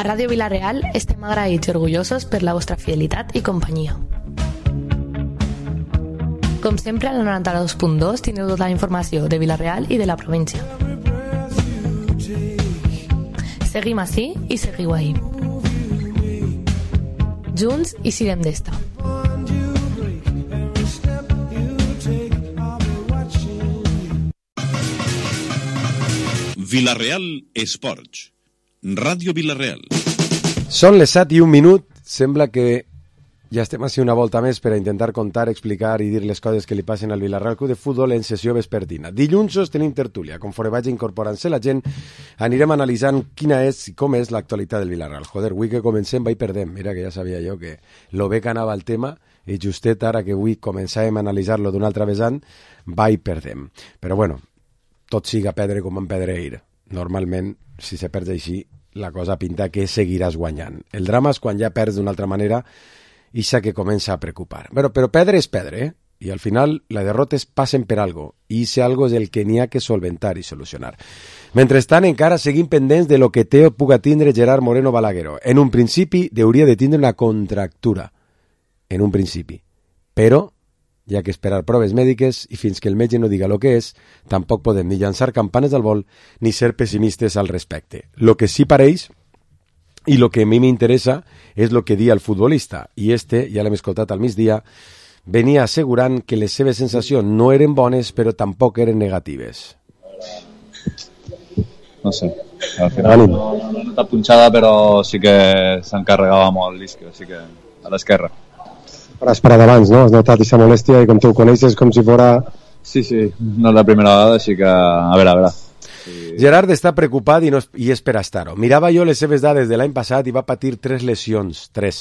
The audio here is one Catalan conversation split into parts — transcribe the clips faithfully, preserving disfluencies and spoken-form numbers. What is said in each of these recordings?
A Ràdio Vila-real estem agraïts i orgullosos per la vostra fidelitat i companyia. Com sempre, al noranta-dos punt dos teniu tota la informació de Vila-real i de la província. Seguim ací i seguiu ahí. Junts i siguem d'esta. Vila-real Esports. Ràdio Vila-real. Són les set i un minut. Sembla que ja estem a ser una volta més per a intentar contar, explicar i dir les coses que li passen al Vila-real Club de Futbol en sessió vespertina. Dilluns tenim tertúlia. Conforme vagi incorporant-se la gent, anirem analitzant quina és i com és l'actualitat del Vila-real. Joder, avui que comencem va i perdem. Mira que ja sabia jo que lo bé que anava el tema i justet ara que avui començàvem a analitzar-lo d'una altra vessant, va i perdem. Però bueno, tot siga perdre com en pedreir. Normalment, si se perd així, la cosa pinta que seguiràs guanyant. El drama és quan ja perds d'una altra manera i això que comença a preocupar. Però, però perdre és perdre, eh? I al final les derrotes passen per algo, i ese algo és el que n'hi ha que solventar i solucionar. Mentrestant, encara seguim pendents de lo que té o puga tindre Gerard Moreno Balagueró. En un principi, hauria de tindre una contractura. En un principi. Però hi ha que esperar proves mèdiques i fins que el metge no diga el que és, tampoc podem ni llançar campanes al vol ni ser pessimistes al respecte. Lo que sí pareix, i lo que a mi m'interessa, és lo que dia el futbolista. I este, ja l'hem escoltat al migdia, venia assegurant que les seves sensacions no eren bones, però tampoc eren negatives. No sé, al final no, no nota punxada, però sí que s'encarregava molt l'isque, així que a l'esquerra. Però has parat abans, no? Has notat aquesta molèstia i com tu ho coneixes com si fora... Sí, sí, no és la primera vegada, així que a veure, a veure. Sí. Gerard està preocupat i, no és, i és per estar-ho. Mirava jo les seves dades de l'any passat i va patir tres lesions, tres,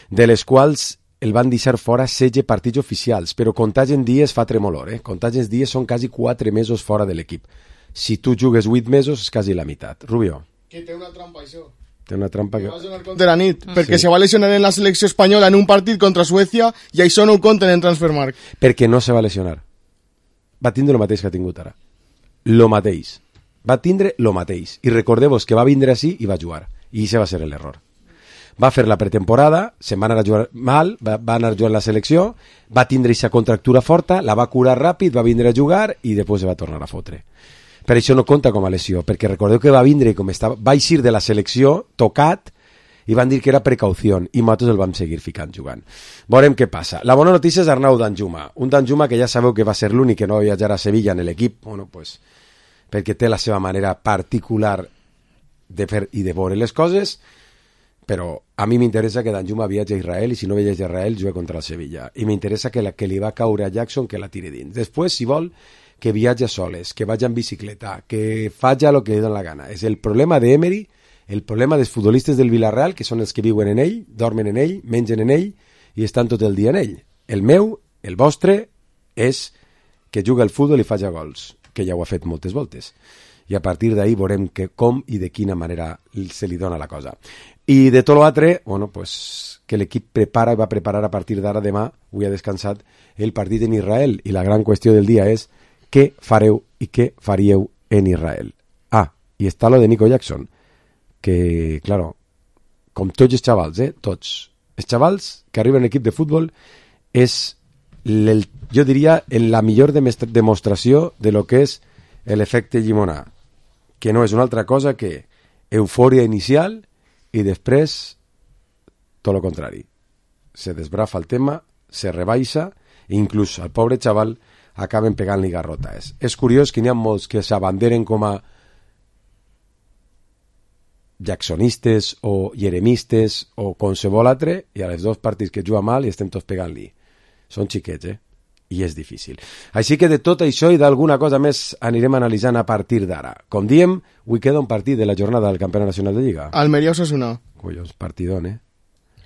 de les quals el van deixar fora setze partits oficials, però comptats en dies fa tremolor, eh? Comptats en dies són quasi quatre mesos fora de l'equip. Si tu jugues vuit mesos és quasi la meitat. Rubio. Que té una trampa, això. Té una trampa que... que... va jugar contra la nit, perquè sí. Se va lesionar en la selecció espanyola en un partit contra Suècia i això no ho compten en Transfermarkt. Perquè no se va lesionar. Va tindre el mateix que ha tingut ara. Lo mateix. Va tindre lo mateix. I recordeu-vos que va vindre així i va jugar. I això va ser l'error. Va fer la pretemporada, se'n va anar a jugar mal, va, va anar a jugar en la selecció, va tindre aquesta contractura forta, la va curar ràpid, va vindre a jugar i després se va tornar a fotre. Per això no compta com a lesió, perquè recordeu que va vindre i com estava, va eixir de la selecció tocat i van dir que era precaució i nosaltres el vam seguir ficant jugant. Veurem què passa. La bona notícia és Arnau Danjuma, un Danjuma que ja sabeu que va ser l'únic que no va viatjar a Sevilla en l'equip, bueno, pues, perquè té la seva manera particular de fer i de veure les coses, però a mi m'interessa que Danjuma viatgi a Israel i si no viatgi a Israel jugui contra el Sevilla. I m'interessa que, la, que li va caure a Jackson que la tiri dins. Després, si vol, que viatja soles, que vagi en bicicleta, que faci el que li dona la gana. És el problema d'Emery, el problema dels futbolistes del Villarreal, que són els que viuen en ell, dormen en ell, mengen en ell i estan tot el dia en ell. El meu, el vostre, és que juga al futbol i faci gols, que ja ho ha fet moltes voltes. I a partir d'ahí veurem que com i de quina manera se li dona la cosa. I de tot l'altre, bueno, pues, que l'equip prepara i va preparar a partir d'ara demà, avui ha descansat, el partit en Israel. I la gran qüestió del dia és què fareu i què faríeu en Israel. Ah, i està lo de Nico Jackson, que, claro, com tots els xavals, eh, tots, els xavals que arriben a l'equip de futbol és, el, jo diria, la millor demostració de lo que és l'efecte llimonà, que no és una altra cosa que eufòria inicial i després tot el contrari. Se desbrafa el tema, se rebaixa i inclús al pobre xaval acaben pegant-li garrotes. És curiós que n'hi ha molts que s'abanderen com a jacksonistes o jeremistes o qualsevol altre i a les dos partits que juga mal i estem tots pegant-li. Són xiquets, eh? I és difícil. Així que de tot això i d'alguna cosa més anirem analitzant a partir d'ara. Com diem, avui queda un partit de la jornada del Campionat Nacional de Lliga. Almeria-Osasuna. Collons, partidón, eh?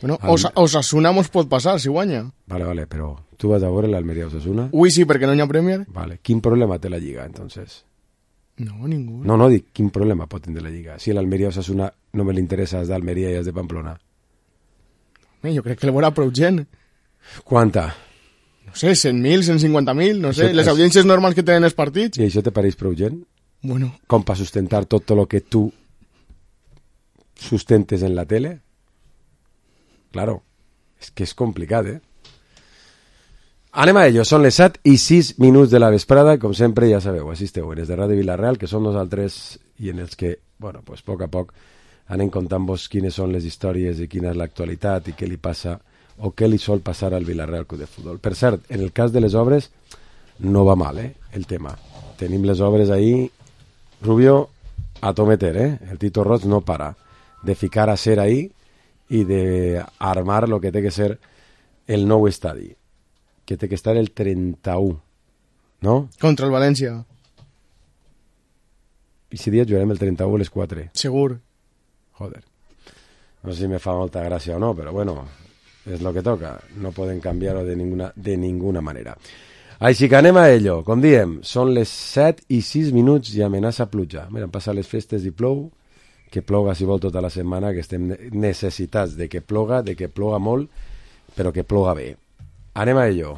Bueno, Al... Osasuna mos pot passar, si guanya. Vale, vale, però tu vas a veure l'Almeria-Osasuna? Ui, sí, perquè no hi ha Premier. Vale, quin problema té la Lliga, entonces? No, ningú. No, no, dic, quin problema pot tenir la Lliga? Si l'Almeria-Osasuna no me l'interessa és d'Almeria i és de Pamplona. Eh, jo crec que le veurà prou gent. Quanta? No sé, cent mil, cent cinquanta mil, no sé, les audiències normals que tenen els partits. I això te pareix prou gent? Bueno. Com per sustentar tot el que tu sustentes en la tele? Claro, és que és complicat, eh? Anem a ello, són les set i sis minuts de la vesprada, com sempre ja sabeu, assisteu en els de Ràdio Vilareal, que som nosaltres i en els que, bueno, pues, a poc a poc anem contant-vos quines són les històries i quina és l'actualitat i què li passa o què li sol passar al Vilareal Club de Futbol. Per cert, en el cas de les obres no va mal, eh, el tema. Tenim les obres ahí, Rubio, a tometer, eh? El Tito Roig no para de ficar a ser ahí i de armar lo que té que ser el nou estadi, que té que estar el trenta-u, no? Contra el València. I si dia jugarem el trenta-u a les quatre. Segur. Joder. No sé si me fa molta gràcia o no, però bueno, és lo que toca. No poden canviar-ho de ninguna, de ninguna manera. Així que anem a ello. Com diem, són les set i sis minuts i amenaça pluja. Mira, han passat les festes i plou, que ploga si vol tota la setmana, que estem necessitats de que ploga, de que ploga molt, però que ploga bé. Anem a ello.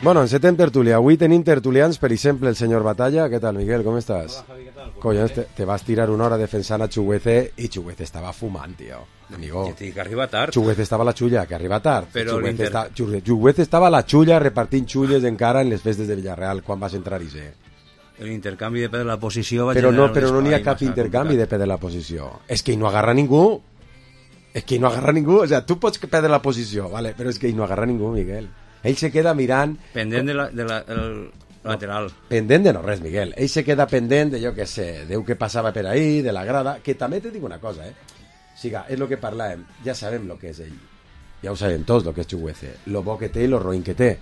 Bueno, encetem tertúlia. Avui tenim tertulians, per exemple, el senyor Batalla. Què tal, Miguel? Com estàs? Hola, Javi, què tal? Collons, te, te vas tirar una hora defensant a Chuguece y Chuguece estaba fumant, tío. Amigo. Que te que arriba tard. Chuguece estava a la xulla, que arriba tard. Però Chuguece, l'inter... esta, Chuguece estava a la xulla repartint xulles encara en les festes de Villarreal, quan vas entrar i ser. L'intercanvi de perdre la posició va Però no, generar però no n'hi ha espai cap massa intercanvi complicat. de perdre la posició. És que hi no agarra ningú. És que hi no agarra ningú. O sea, tu pots perdre la posició, vale? Però és que hi no agarra ningú, Miguel. Ell se queda mirant... Pendent de la, de la, el lateral. Pendent de no res, Miguel. Ell se queda pendent de, jo què sé, Déu que passava per ahí, de la grada, que també te dic una cosa, eh? Siga, és lo que parlàvem, ja sabem lo que és ell. Ja ho sabem tots, lo que és Chuguece. Lo bo que té i lo roïn que té.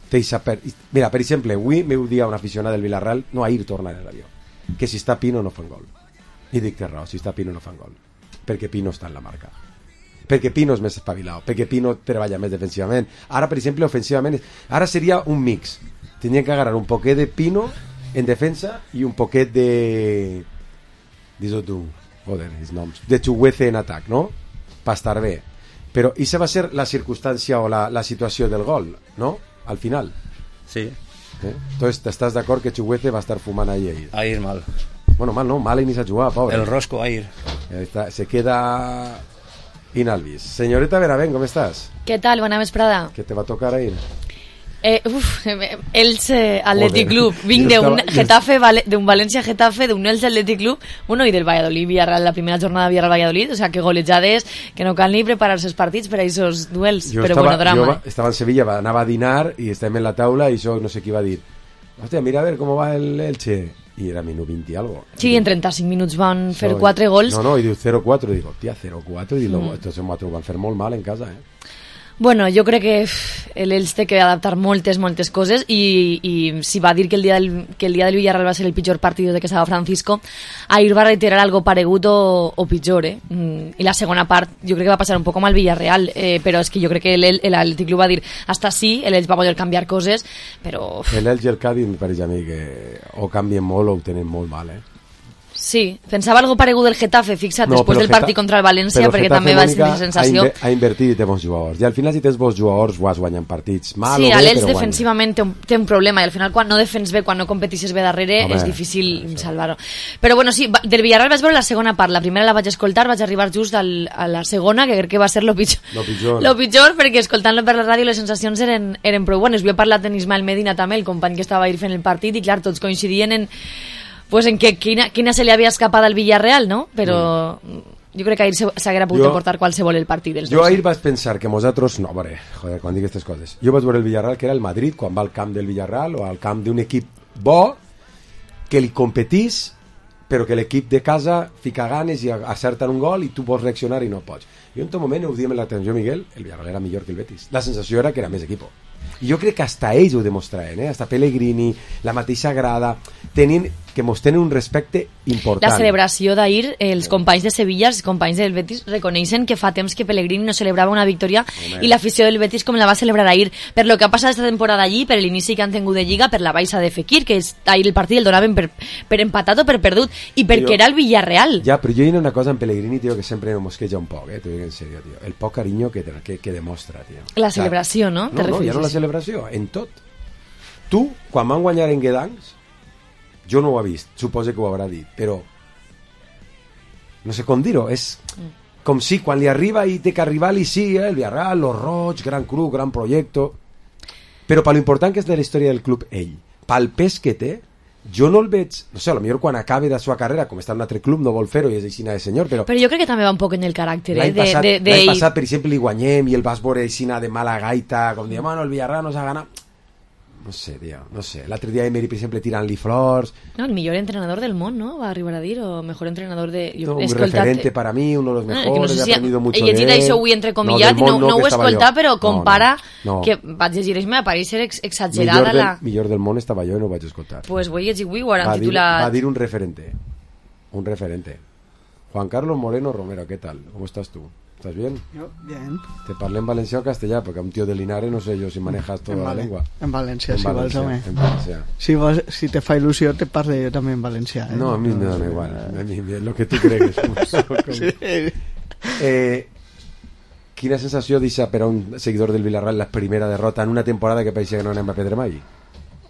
té per... Mira, per exemple, avui m'heu dit a un aficionat del Villarreal, no ahir tornar a l'avió, que si està Pino no fan gol. I dic té raó, si està Pino no fan gol. Perquè Pino està en la marca. Perquè Pino és més espavilat, perquè Pino treballa més defensivament. Ara, per exemple, ofensivament, ara seria un mix. Tindrien que agarrar un poquet de Pino en defensa i un poquet de... Dis-ho tu, joder, els noms. De Chuguece en atac, no? Per estar bé. Però això va ser la circumstància o la, la situació del gol, no? Al final. Sí. Eh? Entonces, ¿estàs d'acord que Chuguece va estar fumant ahí? ahir? Ahir mal. Bueno, mal no, mal inicia a jugar, pobre. El rosco ahir. Está, se queda... Inalvis. Señorita Benavent, ¿cómo estás? ¿Qué tal? Buena vesprada. ¿Qué te va a tocar ahí? Eh, uf, Elche Athletic Joder. Club. Vinc Yo d'un estaba- Getafe, Vale- d'un Valencia Getafe, d'un Elche Athletic Club, bueno, i del Valladolid Villarreal, la primera jornada Villarreal Valladolid, o sea, que golejades, que no cal ni preparar-se els partits per a aquests duels, Jo però estava, bueno, drama. jo va- estava en Sevilla, va- anava a dinar i estàvem en la taula i això no sé qui va dir. Hòstia, mira a ver cómo va el Elche. I era minut vint i algo. Sí, en trenta-cinc minuts van fer So, quatre gols. No, no, i diu zero quatre. I dic, hòstia, zero quatre. I dic, Mm. estos nosaltres ho van fer molt mal en casa, eh? Bueno, jo crec que uf, l'Elx té que adaptar moltes, moltes coses i, i si va dir que el, dia del, que el dia del Villarreal va ser el pitjor partit de que estava Francisco, ahir va reiterar algo paregut o, o pitjor, eh? Mm, I la segona part jo crec que va passar un poc com al Villarreal, eh, però és que jo crec que l'Atlètic Club va dir hasta sí, l'Elx va poder canviar coses, però... uf, El Elche i el Cádiz em pareix a mi que o canvien molt o ho tenen molt mal, eh? sí, pensava algo paregut del Getafe, fixa't, No, després però del Geta- partit contra el València, però perquè Getafe, també va ser Mònica, la sensació... Ha, inver ha invertit i té bons jugadors. I al final, si tens bons jugadors, vas guanyant partits. Mal Sí, o bé, l'Elx però defensivament té un, té un problema i al final quan no defens bé, quan no competixes bé darrere, Home, és difícil salvar-ho. Però bueno, sí, va- del Villarreal vaig veure la segona part, la primera la vaig escoltar, vaig arribar just al, a la segona, que crec que va ser lo pitjor. Lo pitjor. Lo pitjor, perquè escoltant-lo per la ràdio les sensacions eren, eren prou bones. Havia parlat amb Ismael Medina també, el company que estava ahir fent el partit, i clar, tots coincidien en, pues, en que quina, quina se li havia escapat al Villarreal, no? Però... Mm. Jo crec que ahir se- s'haguera pogut Jo- emportar qualsevol el partit dels Jo dos. ahir vaig pensar que nosaltres... No, veure, joder, quan dic aquestes coses. Jo vaig veure el Villarreal, que era el Madrid, quan va al camp del Villarreal, o al camp d'un equip bo, que li competís, però que l'equip de casa fica ganes i acerten un gol i tu pots reaccionar i no pots. Jo en tot moment ho diem en l'atenció, Miguel, el Villarreal era millor que el Betis. La sensació era que era més equip. I jo crec que hasta ells ho demostraven, eh? Hasta Pellegrini, la mateixa grada, tenien, que mos tenen un respecte important. La celebració d'ahir, els companys de Sevilla, els companys del Betis, reconeixen que fa temps que Pellegrini no celebrava una victòria Home. i l'afició del Betis com la va celebrar ahir. Per lo que ha passat esta temporada allí, per l'inici que han tingut de Lliga, per la baixa de Fekir, que és, ahir el partit el donaven per, per empatat o per perdut, i perquè jo, era el Villarreal. Ja, però jo hi ha una cosa en Pellegrini, tio, que sempre me mosqueja un poc, eh? T'ho dic en sèrio, tio. El poc carinyo que, que, que demostra, tio. La celebració, no? No, no, ja no la celebració, en tot. Tu, quan van guanyar en Guedancs, jo no ho he vist, suposo que ho haurà dit, però no sé com dir-ho, és com si quan li arriba i té que arribar-li sí, eh, el Villarreal, los roig, gran club, gran projecte, però per l'important que és de la història del club ell, pel pes que té, jo no el veig, no sé, potser quan acabe la seva carrera, com està en un altre club, no vol fer-ho i és aixina de senyor, però... Però jo crec que també va un poc en el caràcter, eh? L'any passat, de, de, l'any de... passat, per exemple, li guanyem i el vas veure aixina de mala gaita, com diem, bueno, el Villarreal nos ha ganat... No sé, tio, no sé. L'altre dia Emery, per exemple, tirant-li flors... No, el millor entrenador del món, ¿no? Va a arribar a dir, o mejor entrenador de... Jo no, un escoltat... referente para mí, uno de los mejores, no, no sé si he aprendido mucho he llegit de él. això avui entrecomillat, no, no, no, no ho he escoltat, però compara... No, no. Que vaig llegir, me va parecer ex exagerada millor del, la... millor del món estava jo i no ho vaig escoltar. Pues voy a llegir avui, ho han va titulat... Dir, va dir un referente. Un referente. Juan Carlos Moreno Romero, ¿qué tal? ¿Cómo estás tú? ¿Estás bien? Yo, bien. ¿Te parlé en Valencia o castellà? Porque a un tío de Linares no sé yo si manejas toda la lengua. En Valencia, en si Valencia, vols, home. En Valencia. Si, vols, si te fa il·lusió, te parle jo també en valencià. Eh? No, a mí me da igual. A mí, lo que tú cregues. Sí. Eh, quina sensació deixa per a un seguidor del Villarreal la primera derrota en una temporada que pareixia que no anem a perdre mai?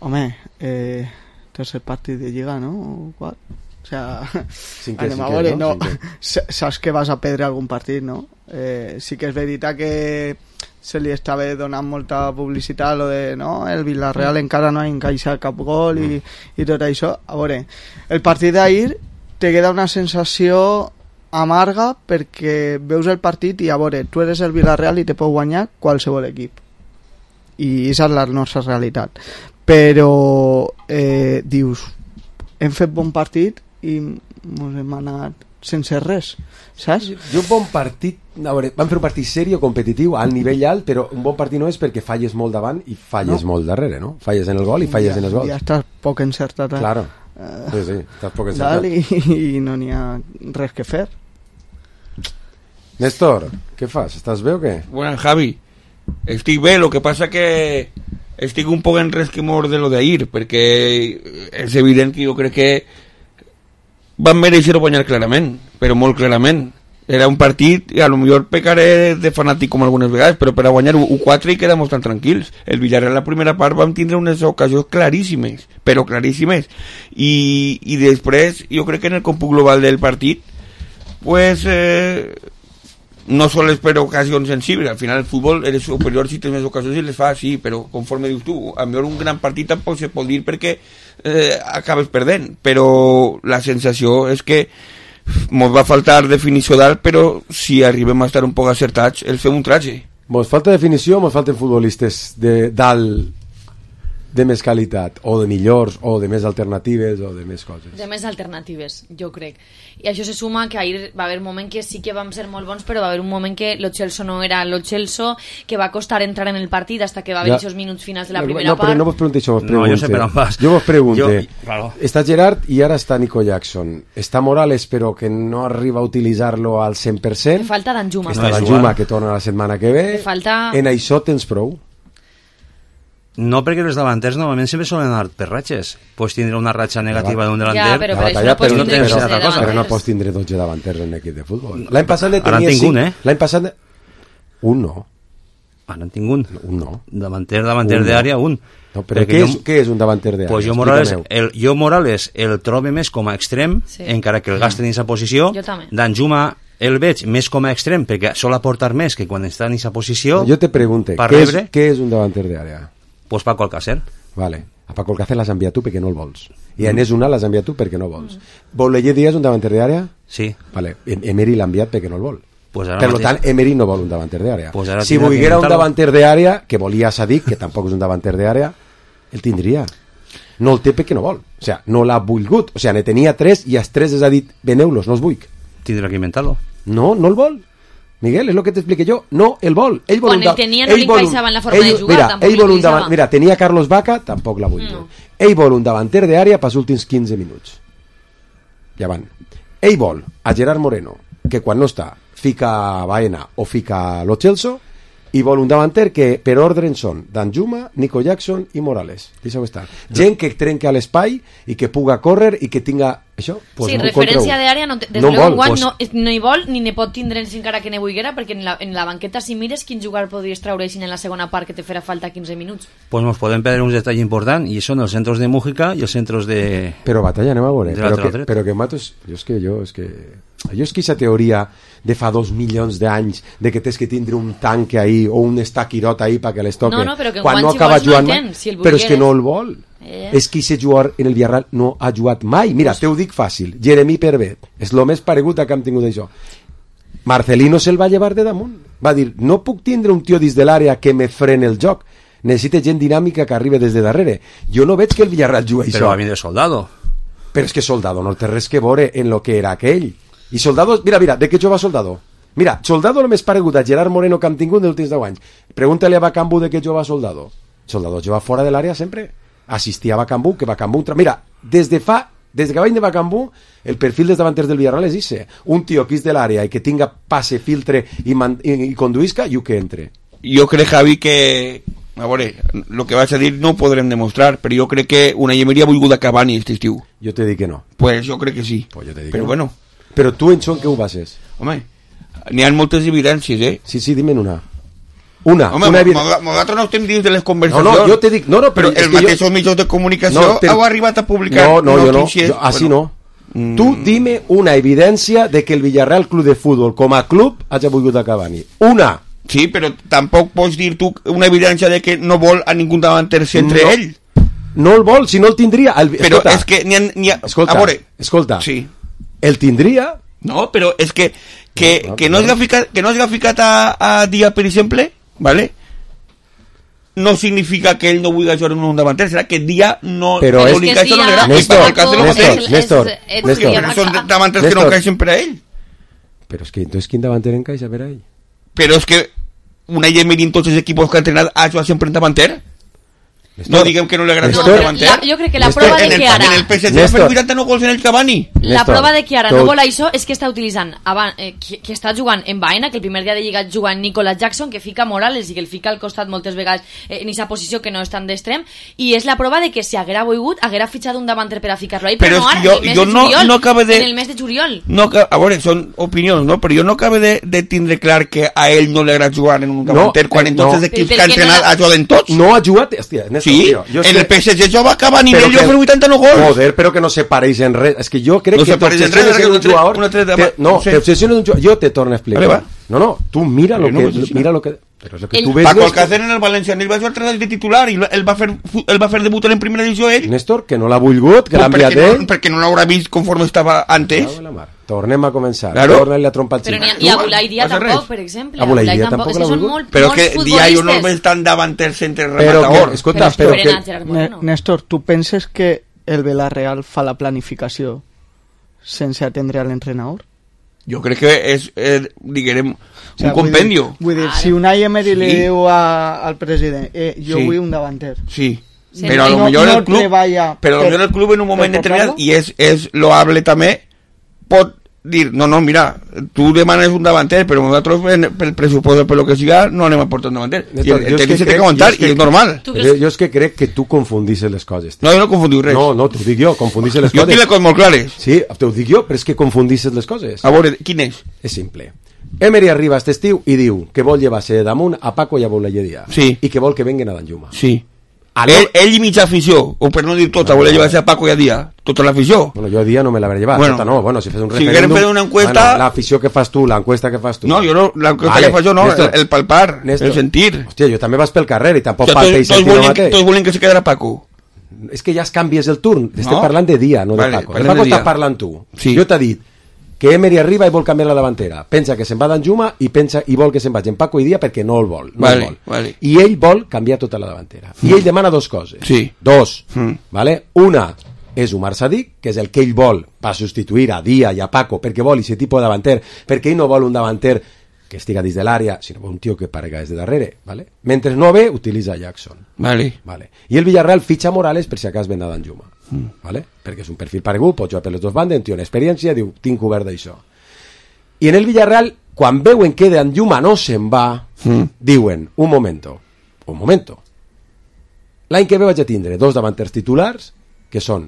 Home, eh, tercer partit de Lliga, no? O quart? O sea, cinquè, anem a cinquè, veure, no? no, saps que vas a perdre algun partit, no? Eh, sí que és veritat que se li estava donant molta publicitat lo de, no, el Villarreal encara no ha encaixat cap gol i, i tot això. A veure, el partit d'ahir te queda una sensació amarga perquè veus el partit i a veure, tu eres el Villarreal i te pot guanyar qualsevol equip i aquesta és la nostra realitat, però eh, dius, hem fet bon partit i ens hem anat sense res, saps? Jo un bon partit, a veure, vam fer un partit serio, competitiu, al nivell alt, però un bon partit no és perquè falles molt davant i falles no. molt darrere, no? Falles en el gol i falles ja, en els gols. Ja estàs poc encertat. Eh? Claro, uh, sí, sí, estàs poc encertat. I, i no n'hi ha res que fer. Néstor, què fas? Estàs bé o què? Bueno, Javi, estic bé, lo que passa que estic un poc en resquemor de lo d'ahir, perquè és evident que jo crec que van mereixer guanyar clarament, però molt clarament. Era un partit, i a lo millor pecaré de fanàtic com algunes vegades, però per a guanyar u quatre i quedamos tan tranquils. El Villarreal la primera part vam tindre unes ocasions claríssimes, però claríssimes. I, i després, jo crec que en el còmput global del partit, pues... Eh, no sols per ocasions sensibles, al final el futbol eres superior si tens més ocasions i les fa, sí, però conforme dius tu, a millor un gran partit tampoc se pot dir perquè eh, acabes perdent, però la sensació és que mos va faltar definició dalt, però si arribem a estar un poc acertats, el fem un traje. Mos falta definició, mos falten futbolistes de dalt de més qualitat, o de millors, o de més alternatives, o de més coses. De més alternatives, jo crec. I això se suma que ahir va haver un moment que sí que vam ser molt bons, però va haver un moment que lo Chelsea no era lo Chelsea, que va costar entrar en el partit hasta que va haver aquests minuts finals de la primera no, part. No, però no vos pregunte això, vos pregunte. No, jo sé per on vas. Jo vos pregunte. Jo, claro. Està Gerard i ara està Nico Jackson. Està Morales, però que no arriba a utilitzar-lo al cent per cent. Me falta Danjuma. Està Danjuma, que torna la setmana que ve. Me falta... En això tens prou? No, perquè els davanters normalment sempre solen anar per ratxes. Pots tindre una ratxa negativa d'un delanter, ja, però, però, batalla, però, no tens però, cosa. però no pots tindre dotze davanters en l'equip de futbol. L'any passat ne ara tenia en tinc un, eh? L'any passat... Un no. Ara en tinc un. Un no. Davanter, davanter un d'àrea, un. No, però què, jo, és, què és un davanter d'àrea? Pues jo Morales, el, jo Morales el trobo més com a extrem, sí. encara que el gasten en aquesta posició. Danjuma el veig més com a extrem, perquè sol aportar més que quan està en aquesta posició. Jo te pregunte, què és, què és un davanter d'àrea? Pues Paco Alcácer. Vale. A Paco Alcácer l'has enviat tu perquè no el vols. I a Enes Una l'has enviat tu perquè no vols. Mm. Boulaye Díaz un davanter d'àrea? Sí. Vale. Emery l'ha enviat perquè no el vol. Pues per mateix... tant, Emery no vol un davanter d'àrea. Pues si volguera un davanter d'àrea, que volia Sadik, que tampoc és un davanter d'àrea, el tindria. No el té perquè no vol. sigui, no l'ha volgut, o sigui, ne tenia tres i els tres els ha dit, veneu-los, no els vull. Tindrà que inventar-lo. No, no el vol. Miguel, és el que t'expliqué jo. No, el vol. Ell vol Quan un el tenia no li encaixava en la forma ell, de jugar, mira, tampoc ell vol li un davant, encaixava. mira, tenia Carlos Vaca, tampoc la vull. No. Ell vol un davanter d'àrea pels últims quinze minuts. Ja van. Ell vol a Gerard Moreno, que quan no està fica Baena o fica Lo Celso, i vol un davanter que per ordre són Danjuma, Nico Jackson i Morales. Deixeu estar. Gent que trenca l'espai i que puga córrer i que tinga això, pues, sí, un referència d'àrea no, des no de l'enguany pues... no, no hi vol ni ne pot tindre encara que ne vulguera, perquè en la, en la banqueta si mires quin jugador podries treure en la segona part que te farà falta quinze minuts. Pues nos podem perdre un detall important i són els centres de Mújica i els centres de... Però Batalla, anem a veure, de però que, però que Matos, jo és que jo és que jo és que aquesta teoria de fa dos milions d'anys de que tens que tindre un tanque ahí o un estaquirot ahí perquè les toque no, no, però que quan no si acaba vols, jugant no mai, tens, si però és que no el vol. Eh. És que aquest jugador en el Villarreal no ha jugat mai. Mira, pues... te ho dic fàcil, Jeremy Pervet és el més paregut a que hem tingut això. Marcelino se'l va llevar de damunt, va dir, no puc tindre un tio dins de l'àrea que me frene el joc, necessita gent dinàmica que arriba des de darrere. Jo no veig que el Villarreal jugui però això. va vindre Soldado. Però és que Soldado no té res que veure en lo que era aquell. I Soldado, mira, mira, de què jova Soldado? Mira, Soldado el més paregut a Gerard Moreno que hem tingut en els últims deu anys. Pregúntale a Bacambú de què jova Soldado. Soldado jova fora de l'àrea sempre. Assistia a Bacambú, que Bacambú... Mira, des de fa... Des que va de Bacambú, el perfil dels davanters del Villarreal és ese. Un tio que és de l'àrea i que tinga passe, filtre i, man, i, i conduïsca i que entre. Jo crec, Javi, que... A veure, el que vas a dir no ho podrem demostrar, però jo crec que una Emery ha volgut a Cavani aquest estiu. Jo te dic que no. Pues jo crec que sí. Pues jo te dic però que no. bueno. Però tu en això en què ho bases? Home, n'hi ha moltes evidències, eh? Sí, sí, dime una. Una. Home, una evident... nosaltres no estem dins de les conversacions. No, no, jo te dic... No, no, però, però els mateixos jo... mitjans de comunicació no, però... heu arribat a publicar no, no, notícies... Jo no, jo, així bueno. no. Mm. Tu dime una evidència de que el Villarreal Club de Futbol com a club hagi volgut a Cavani. Una. Sí, però tampoc pots dir tu una evidència de que no vol a ningú davanter centre no. ell. No el vol, si no el tindria... El... Però escolta, és que n'hi ha... N'hi ha... Escolta, a veure, escolta. Sí. El tindria... No, però és que que, no, no, que no es ficat, que no es ficat a, a Dia, per exemple, ¿vale? No significa que ell no vulgui jugar en un davanter, serà que Dia no, però no és li encaixa, no li agrada. Néstor, Néstor, Néstor, Néstor, Néstor. Però són davanters que no encaixen per a ell. Però és que entonces quin davanter encaixa per a ell? Però és que una Emery en tots els equips que ha entrenat ha jugat sempre en davanter. Néstor, no diguem que no li agrada no, jugar davanter. La, jo crec que la Néstor, prova de en el, que ara... En el P S G ha fet vuitanta-nou gols en el Cavani. La Néstor, prova de que ara tot... no vol això és que està utilitzant abans, eh, que, que està jugant en Baena, que el primer dia de Lliga juga en Nicolas Jackson, que fica Morales i que el fica al costat moltes vegades eh, en aquesta posició que no és tan d'extrem, i és la prova de que si haguera volgut haguera fitxat un davanter per a ficar-lo ahí, però, però no ara, jo, en el mes jo de no, juliol, no acabe de... en el mes de juliol. No, a veure, són opinions, no? Però jo no acabe de, de tindre clar que a ell no li agrada jugar en un davanter, no, quan en tots no. els equips que ha entrenat no ha jugat en tots. No ha jugat, hòstia, Néstor, sí, tío, jo en el P S G jo va acabar a nivell, jo que... fer vuitanta-nou gols. Joder, però que no se pareix en res. És que jo crec no que t'obsessiones en un jugador... Una tre, te, no, sí. t'obsessiones en un jugador... Jo te torno a explicar. Vale, no, no, tu mira lo no que... Mira lo que... Però és lo que el... tu ves... Paco Alcácer en el València, ell va jugar tres anys de titular i el va fer, el va fer debut en primera divisió ell. Néstor, que no l'ha volgut, que l'ha enviat ell. No, perquè no l'haurà vist conforme estava antes. Tornem a començar. Claro. Torna-li a trompar el Però xic. i a Bulai Dia tampoc, per exemple. A Bulai Dia tampoc l'ha volgut. Però que Dia jo no el veig tan davanter centre rematador. Escolta, però que... Néstor, tu penses que el Villarreal fa la planificació sense atendre a l'entrenador? Jo crec que és, eh, diguem, un o sea, compendio. Vull dir, vull dir si Unai Emery sí. li diu a, al president eh, jo sí. vull un davanter. Sí. sí. Però a lo no, millor no el club, però a lo millor el club en un moment determinat, i és, és loable també, pot dir, no, no, mira, tu demanes un davanter, però nosaltres pel pressupost per lo que siga no anem a portar un davanter. Néstor, I el tècnic se té que aguantar i és normal. Jo, jo és que crec que tu confundissis les coses. No, jo no confundiu res. No, no, t'ho dic jo, confundissis les jo coses. Jo tinc les coses molt clares. Sí, t'ho dic jo, però és que confundissis les coses. A veure, quin és? És simple. Emery arriba aquest estiu i diu que vol llevar-se damunt a Paco i a Boulayedia. Sí. I que vol que venguen a Danjuma. Sí. Ell, ell i mitja afició, o per no dir tota, no, volia llevar-se a Paco i a Dia, tota l'afició. Bueno, jo a Dia no me l'hauré llevat, bueno, tota no, bueno, si fes un si referèndum... fer una encuesta... Bueno, l'afició que fas tu, l'encuesta que fas tu... No, jo no, l'encuesta vale. que fas jo no, Néstor, el, el palpar, Néstor, el sentir. Hòstia, jo també vas pel carrer i tampoc o sea, palpe i sentir el mateix. Tots volen que se quedara Paco. És que ja es canvies el turn, estem no? parlant de Dia, no vale, de Paco. De Paco estàs parlant tu. Sí. Jo t'he dit que Emery arriba i vol canviar la davantera. Pensa que se'n va d'Anjuma i pensa i vol que se'n vagi en Paco i Dia perquè no el vol. No vale, el vol. Vale. I ell vol canviar tota la davantera. I ell demana dos coses. Sí. Dos. Mm. ¿Vale? Una, és Umar Sadik, que és el que ell vol per substituir a Dia i a Paco, perquè vol aquest tipus de davanter, perquè ell no vol un davanter que estiga dins de l'àrea, sinó un tio que parega des de darrere, ¿vale? Mentre no ve, utilitza Jackson. Vale. Vale. I el Villarreal fitxa Morales per si acas ven a Danjuma, mm. ¿vale? Perquè és un perfil paregut, pot jugar per les dues bandes, un tio en experiència, diu, tinc cobert d'això. I en el Villarreal, quan veuen que Danjuma no se'n va, mm. diuen, un momento, un momento. L'any que ve vaig a tindre dos davanters titulars, que són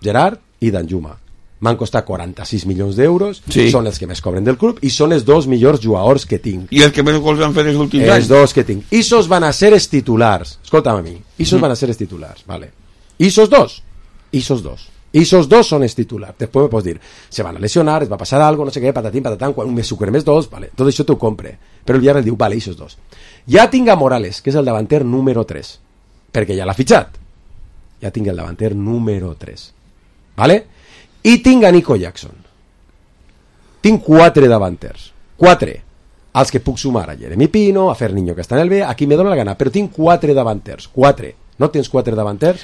Gerard i Danjuma. M'han costat quaranta-sis milions d'euros, sí. Són els que més cobren del club i són els dos millors jugadors que tinc. I els que més gols han fet els últims els anys. Els dos que tinc. Isos van a ser els titulars. Escolta'm a mi. Isos mm. van a ser els titulars, vale. Isos dos. Isos dos. Isos dos són els titulars. Després me pots dir, se van a lesionar, es va passar algo, no sé què, patatín, patatán, quan me sucre més dos, vale. Tot això t'ho compre. Però el Villarreal diu, vale, Isos dos. Ja tinc a Morales, que és el davanter número tres, perquè ja l'ha fitxat. Ja tinc el davanter número tres. Vale? I tinc a Nico Jackson. Tinc quatre davanters. Quatre. Els que puc sumar a Jeremy Pino, a Ferniño, que està en el B, aquí me dóna la gana, però tinc quatre davanters. Quatre. No tens quatre davanters?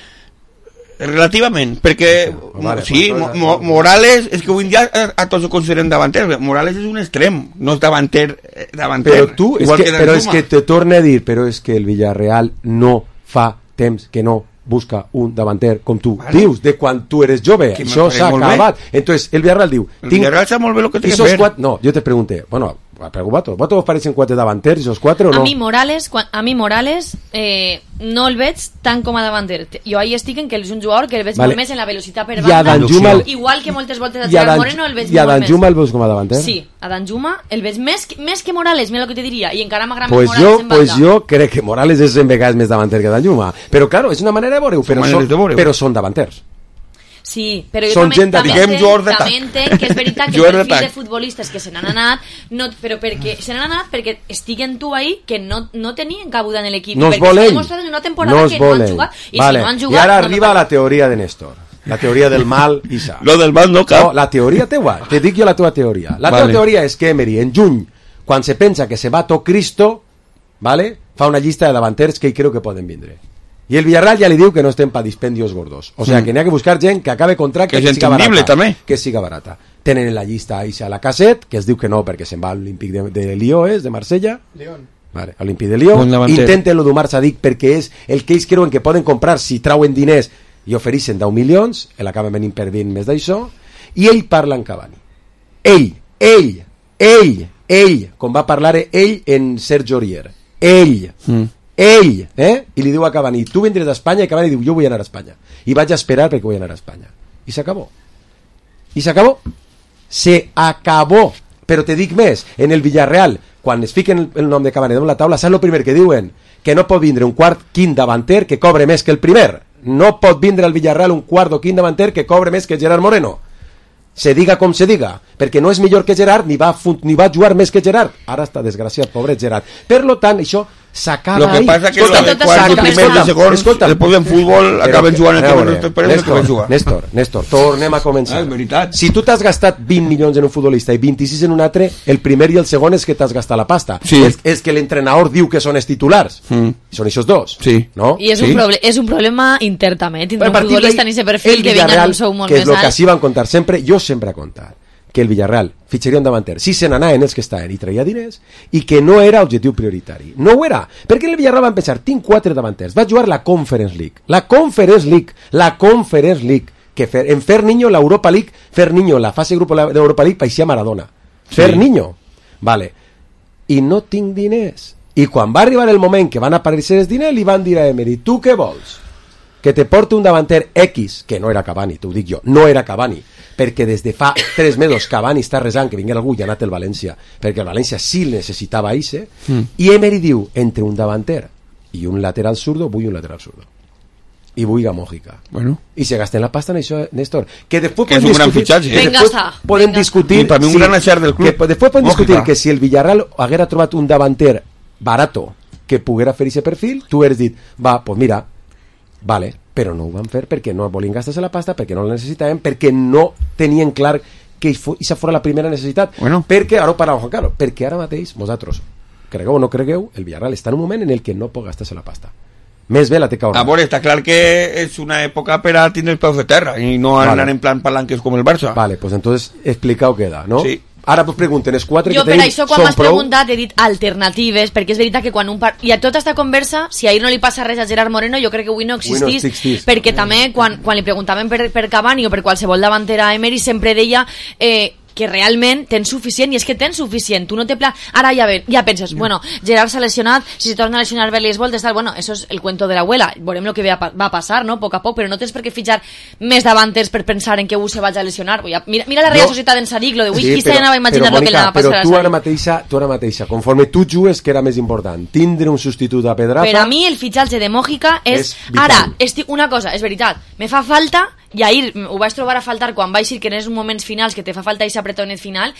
Relativament, perquè vale, sí, pues, mo Morales, és que avui dia a, a tots ho considerem davanter. Morales és un extrem, no és davanter, davanter. Però tu, és que, que però és que te torne a dir, però és que el Villarreal no fa temps que no busca un davanter com tu vale. Dius de quan tu eres jove, que això s'ha acabat. Entonces el Villarreal diu, el Villarreal sabe molt bé lo que té que fer. Quatre, no, jo te pregunté, bueno, pregunto, ¿vosotros os parecen cuatro davanters esos cuatro o no? A mi Morales, a mi Morales eh, no el veig tant com a davanter. Jo ahí estic en que és un jugador que el veig vale. Molt més en la velocitat per banda, el... igual que moltes voltes a Gerard Moreno el veig molt més. I a Danjuma el veus com a davanter? Sí, a Danjuma el veig més, més que Morales, mira el que te diria, i encara m'agrada pues més Morales jo, en banda. Pues jo crec que Morales és en vegades més davanter que Danjuma, però claro, és una manera de veure-ho, però, són, però són davanters. Sí, però jo també, també, entenc, també entenc que és veritat que el perfil de futbolistes que se n'han anat, no, però perquè se n'han anat perquè estiguen tu ahí que no, no tenien cabuda en l'equip, no perquè s'ha demostrat en una temporada no que no han jugat, i vale. Si no han jugat... I ara no arriba no la teoria de Néstor, la teoria del mal i sa. Lo del mal no cap. No, la teoria teua, te dic jo la teva teoria. La vale. Teva teoria és que Emery, en juny, quan se pensa que se va to Cristo, vale, fa una llista de davanters que ell creu que poden vindre. I el Villarreal ja li diu que no estem pa dispendios gordos. O sea, mm. que n'hi ha que buscar gent que acabe contracte que, que siga barata. També. Que siga barata. Tenen en la llista a Aixa Lacazette, que es diu que no perquè se'n va a l'Olímpic de, de Lió, és, de Marsella. Lyon. Vale, Olímpic de Lió. Intenten-lo d'Umar Sadik perquè és el que ells creuen que poden comprar si trauen diners i ofereixen deu milions, l'acaben venint perdint més d'això, i ell parla en Cavani. Ell, ell, ell, ell, com va parlar ell en Sergio Aurier. Ell. Mm. Ell, eh? I li diu a Cavani, tu vindres d'Espanya, i Cavani diu, jo vull anar a Espanya i vaig a esperar perquè vull anar a Espanya, i s'acabó i s'acabó se acabó, però te dic més, en el Villarreal, quan es fiquen el nom de Cavani damunt la taula, saps el primer que diuen? Que no pot vindre un quart quint davanter que cobre més que el primer, no pot vindre al Villarreal un quart o quint davanter que cobre més que Gerard Moreno, se diga com se diga, perquè no és millor que Gerard ni va, ni va jugar més que Gerard, ara està desgraciat, pobre Gerard, per lo tant això s'acaba lo que ahí. Pasa que escolta, lo de quarto, primer i segon, després en futbol acaben jugant el que no esperem que van jugar. Néstor, Néstor, tornem a començar. Ah, si tu t'has gastat vint milions en un futbolista i vint-i-sis en un altre, el primer i el segon és que t'has gastat la pasta. Sí. És, és que l'entrenador diu que són els titulars. Mm. Són aquests dos. Sí. No? I és, sí. un proble és un problema intern també, tindre un futbolista en aquest perfil que vinga en un sou molt més alt. Que és el que així van contar sempre, jo sempre he contat que el Villarreal fitxaria un davanter si se n'anaven els que estaven i traia diners i que no era objectiu prioritari, no ho era, perquè el Villarreal van pensar, tinc quatre davanters, va jugar la Conference League, la Conference League la Conference League, que fer, en Ferniño l'Europa League, Ferniño la fase grupo de l'Europa League paixia Maradona, sí. Ferniño vale, i no tinc diners, i quan va arribar el moment que van aparèixer els diners, li van dir a Emery, tu què vols? Que te porte un davanter X, que no era Cavani, t'ho dic jo, no era Cavani, perquè des de fa tres mesos Cavani està resant que vingués algú i ha anat el València, perquè el València sí necessitava Aixe, mm. i Emery diu, entre un davanter i un lateral zurdo, vull un lateral zurdo. I vull a Mójica. Bueno. I se gasten la pasta en això, Néstor. Que després que és un gran fitxatge. Eh? Venga, està. Podem Venga discutir... I per mi un si, gran acert del club. Que després podem discutir que si el Villarreal haguera trobat un davanter barato que poguera fer aquest perfil, tu hauries dit, va, pues mira, vale, però no ho van fer perquè no volien gastar-se la pasta, perquè no la necessitaven, perquè no tenien clar que això fos la primera necessitat. Bueno. Perquè, ara ho parlàvem, Juan Carlos, perquè ara mateix, vosaltres, cregueu o no cregueu, el Villarreal està en un moment en el que no pot gastar-se la pasta. Més bé la té que ahorrar. A veure, està clar que és una època per a tindre els peus de terra i no vale. Anar en plan palanques com el Barça. Vale, pues entonces explicado queda, no? Sí. Ara pues pregunten, els quatre jo, que tenim són prou... Jo per això quan m'has preguntat he dit alternatives, perquè és veritat que quan un part... I a tota esta conversa, si ahir no li passa res a Gerard Moreno, jo crec que avui no existís, no perquè també quan, quan li preguntaven per, per Cavani o per qualsevol davantera a Emery sempre deia... Eh, que realment tens suficient, i és que tens suficient, tu no te pla... Ara ja, ve, ja penses, mm. bueno, Gerard s'ha lesionat, si se torna a lesionar bé les voltes, tal, bueno, eso es el cuento de la abuela, veurem lo que va a passar, no?, a poc a poc, però no tens per què fitxar més davanters per pensar en que un se vagi a lesionar. Mira, mira la Real no. Societat d'en Sadik, lo de ui, sí, qui se anava a imaginar lo que li anava a passar a Sadik. Però tu ara mateixa, tu ara mateixa, conforme tu jugues, que era més important, tindre un substitut a Pedraza... Per a mi el fitxatge de Mójica és... és ara, estic, una cosa, és veritat, me fa falta... I ahir ho vaig trobar a faltar quan vaig dir que en els moments finals que te fa falta aquest apretonet final,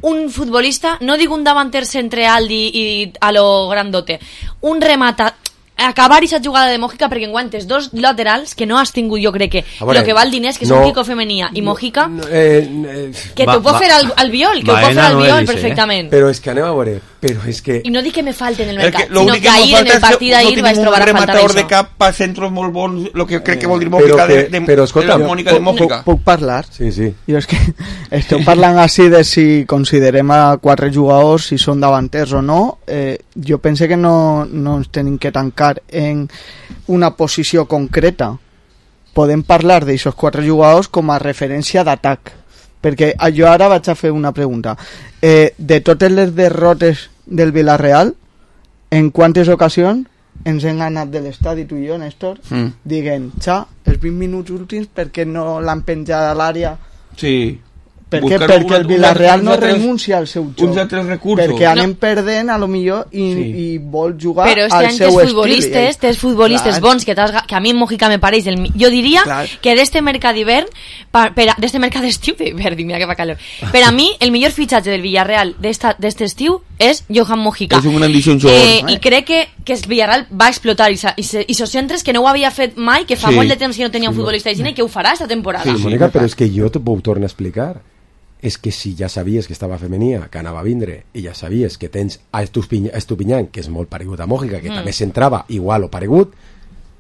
un futbolista, no dic un davanter centre alt i, i a lo grandote, un remata, acabar aquesta jugada de Mójica, perquè en guantes dos laterals que no has tingut, jo crec que veure, el que val diners, que no, són Kiko Femenia i Mójica, no, eh, eh, que t'ho pot fer al, al viol, que ho pot fer al viol no perfectament. Eh? Però és que anem a veure, però és que... I no dic que me falten en el mercat, que, sinó que, que ahir en el partit d'ahir vaig trobar a faltar això. Un rematador de cap pa centros molt bons, el que crec que vol dir Mójica de, de, però, escolta, de la Mónica de Mójica. Puc parlar? Sí, sí. Jo és que estem parlant així de si considerem a quatre jugadors, si són davanters o no. Eh, jo pense que no, no ens tenim que tancar en una posició concreta. Podem parlar d'aixòs quatre jugadors com a referència d'atac, perquè jo ara vaig a fer una pregunta. Eh, de totes les derrotes del Villarreal, en quantes ocasions ens hem anat de l'estadi, tu i jo, Néstor, mm. diguent, xa, els vint minuts últims perquè no l'han penjat a l'àrea? Sí. Per què? Perquè el Villarreal no renuncia al seu joc. Uns altres recursos. Perquè anem no. perdent, a lo millor, i, sí. i vol jugar però al este seu estil. Futbolistes, tens futbolistes bons, que, que a mi en Mójica me pareix... El, jo diria clar. Que d'este mercat d'hivern, d'este mercat d'estiu, d'hivern, mira que fa calor, per a mi, el millor fitxatge del Villarreal d'este estiu és Johan Mójica. És un gran jugador. Eh, I crec que, que el Villarreal va explotar i esos centres que no ho havia fet mai, que fa sí. molt de temps que no tenia un futbolista de cine i que ho farà esta temporada. Sí, sí, Mónica, però és que jo t'ho puc tornar a explicar. És que si ja sabies que estava femenia, que anava a vindre, i ja sabies que tens a Estupiñán, que és molt paregut a Mójica, que mm. també s'entrava igual o paregut,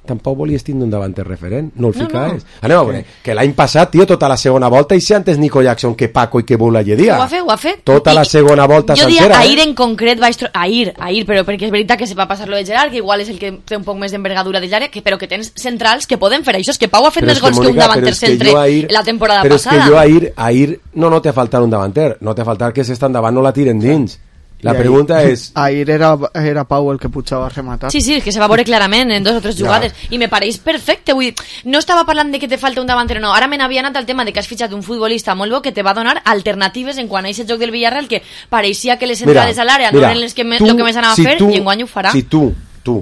tampoc volies tindre un davanter referent, no el no, ficaves. No. Anem a veure, que l'any passat, tio, tota la segona volta, i si antes Nico Jackson que Paco i que Bula lledia. Ho ha fet, ho ha fet. Tota I, la segona volta jo sencera. Jo diria, ahir eh? en concret vaig... Tro... Ahir, ahir, però perquè és veritat que se va passar lo de Gerard, que igual és el que té un poc més d'envergadura de l'àrea, però que tens centrals que poden fer això. És que Pau ha fet però més gols que, Mónica, que un davanter centre ahir, la temporada però passada. Però és que jo ahir, ahir no, no t'ha faltat un davanter, no t'ha faltat que s'estan davant no la tiren dins. La ahir, pregunta és... Ahir era, era Pau el que pujava a rematar. Sí, sí, que se va veure clarament en dos o tres jugades. Ja. I me pareix perfecte. Vull dir, no estava parlant de que te falta un davanter, no. Ara me n'havia anat al tema de que has fitxat un futbolista molt bo que te va donar alternatives en quant a aquest joc del Villarreal, que pareixia que les entrades mira, a l'àrea no eren les que me, tu, lo que més anava si a fer tu, i enguany ho farà. Si tu, tu,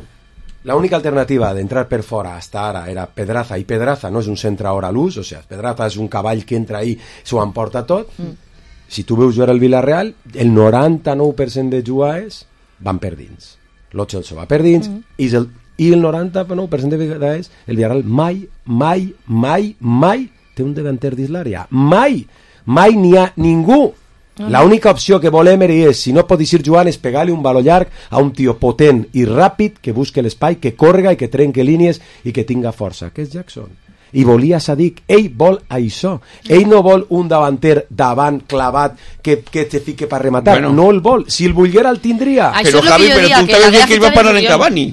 l'única alternativa d'entrar per fora hasta ara era Pedraza, i Pedraza no és un centre hora a l'ús, o sigui, Pedraza és un cavall que entra ahí, s'ho emporta tot... Mm. Si tu veus jugar el Villarreal, el noranta-nou per cent de jugades van per dins. Lo Chelsea va per dins mm. i, el, i el noranta-nou per cent de vegades el Villarreal mai, mai, mai, mai té un davanter dins l'àrea. Mai! Mai n'hi ha ningú. Mm. L'única opció que vol Emery és, si no pot ir jugant, és pegar-li un baló llarg a un tio potent i ràpid que busque l'espai, que correga i que trenque línies i que tinga força. Que és Jackson. I volia Sadik, ell vol això, ell no vol un davanter davant clavat que, que te fique per rematar, bueno. No el vol, si el volguera el tindria. Però Javi, però tu estaves que, que ell va parlar en Cavani.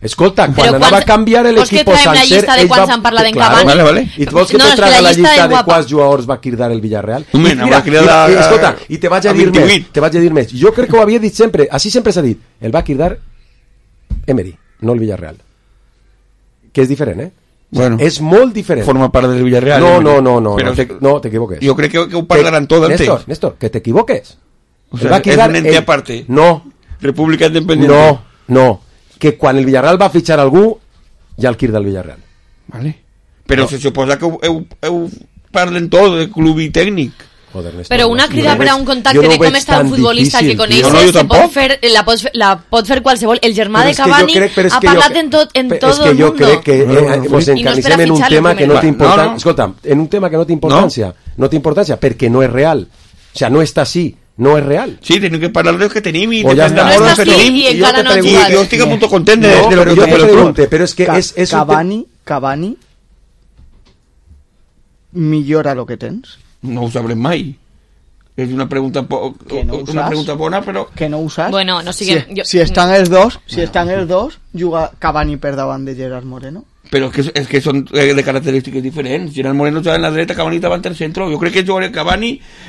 Escolta, quan però anava quan, a canviar l'equip sencer, ell va... S'han parlat en Cavani. Vale, vale. I tu vols que no, te traga la llista de quants jugadors va cridar el Villarreal? Mira, mira, mira, escolta, i te vaig a dir més, te vaig a dir més. Jo crec que ho havia dit sempre, així sempre s'ha dit, el va cridar Emery, no el Villarreal. Que és diferent, eh? Bueno, és molt diferent. Forma part del Villarreal. No, no, no, no, no, te, no t'equivoques. Jo crec que, que ho parlaran tot antes. Néstor, Néstor, que t'equivoques. O sea, és un ente aparte. No. República Independiente. No, no. Que quan el Villarreal va fitxar algú, ja el quir del Villarreal. Vale. Però no. Se suposa que heu, heu, heu parlen tot de club i tècnic. Joder, però una crida no per a un contacte no de com està un futbolista difícil, que coneixes, no, no, pot fer, la, pot fer, la pot fer qualsevol. El germà de Cavani crec, ha parlat jo, en tot, en tot és que el jo mundo. crec que eh, pues encarnicem no en un tema que no té importància. No, no. Escolta, en un tema que no té importància. No, no té importància perquè no és real. O sea, no està així. no és real. Sí, tenim que parlar dels que tenim i o ja no estàs tu i encara no has jugat. Jo estic molt content de, no, de lo que jo te pregunte, però és que és, és Cavani, Cavani millora lo que tens? No ho sabrem mai. És una pregunta po que no una pregunta bona, però que no ho saps. Bueno, no sigui... si, jo... si estan els dos, si bueno. estan els dos, juga Cavani per davant de Gerard Moreno. Però és que, és que són de característiques diferents. Gerard Moreno juga en la dreta, Cavani davant del centre. Jo crec que jugaré Cavani,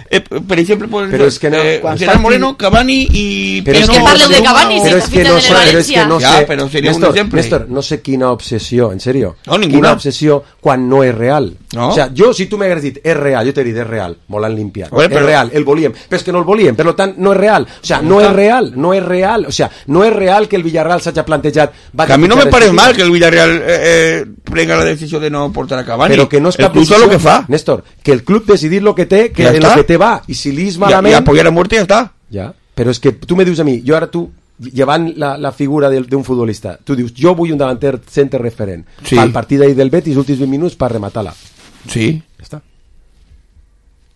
eh, per exemple, pues, però és que no, eh, Gerard Moreno, Cavani i... Però és que parleu de Cavani, però si és que no sé, però és que no ja, sé, però seria Néstor, un exemple. Néstor, no sé quina obsessió, en serio, no, ninguna. Quina obsessió quan no és real. No? O sea, jo, si tu m'hagués dit, és real, jo t'he dit, és real, me l'han limpiat, Oye, però... és real, el volíem, però és que no el volíem, per tant, no és real, o sea, no és real, no és real, o sea, no és real que el Villarreal s'hagi plantejat... Que a mi no me parece mal que el Villarreal eh, eh, prenga la decisió de no portar a Cavani. Però que no és el cap club decisió, lo que fa. Néstor, que el club decidir lo que té, que ja en està. lo que té va, i si li és malament... I apoyar a muerte i ja està. Ja, però és que tu me dius a mi, jo ara tu, llevant la, la figura d'un futbolista, tu dius, jo vull un davanter centre referent, sí. Al partit d'ahir del Betis, els últims vint minuts per rematar-la. Sí. Ja està.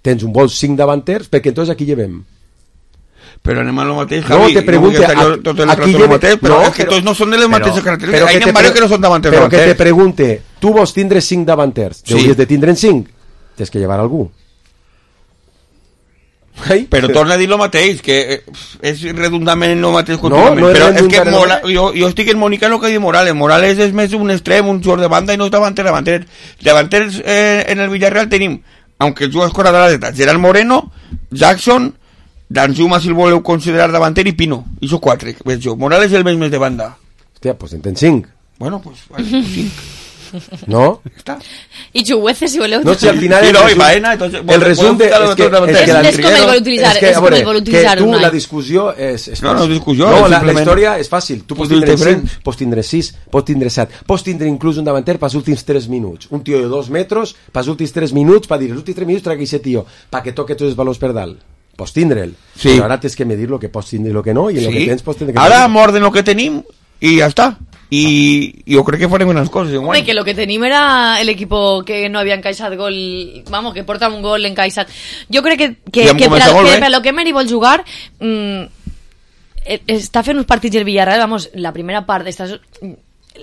Tens un vols cinc davanters, perquè entonces aquí llevem. Però anem a lo mateix, no, Javi. te pregunte, no a, tot el aquí lleve, mateix, però no, és que tots no són de les mateixes característiques. Hi ha varios que no són davanters. Però que te pregunte, tu vols tindre cinc davanters, sí. Deuries de tindre'n cinc, tens que llevar algú. Ai, però que... torna a dir el mateix, que és redundament el mateix contínuament. No, no però és que Mola, jo, jo estic en Mónica el que diu Morales. Morales és més un extrem, un jugador de banda i no és davanter, davanter. Davanters eh, en el Villarreal tenim, aunque el jugador escora de la dreta, Gerard Moreno, Jackson, Danjuma, si el voleu considerar davanter, i Pino. I són quatre, veig jo. Morales és el més més de banda. Hòstia, pues en tens cinc. Bueno, pues, vale, pues cinc. No? Està. I Chuguece, si voleu. No, si al final... El, resum, Baena, entonces, el resum de... És que, és que la, és com el vol utilitzar, és, que, és com el vol utilitzar. Que tu, la discussió és... és no, no, discussió. No, la, la història és fàcil. Tu pots tindre cinc, pots tindre sis, pots tindre set, pots tindre inclús un davanter pels últims tres minuts. Un tio de dos metres, pels últims tres minuts, per dir, els últims tres minuts tragui aquest tio, perquè toque tots els valors per dalt. Pots tindre'l, sí. Però ara tens que medir lo que pots tindre i lo que no, i sí. Lo que tens pots tindre que ara morden lo que tenim i ja està. Y yo creo que farem unas cosas igual. Home, que lo que tenim era el equipo que no havia encaixat gol, vamos, que porta un gol encaixat. Jo crec que, que, que, per, a, que per lo que Meri vol jugar mmm, està fent uns partits del Villarreal, vamos, la primera part està...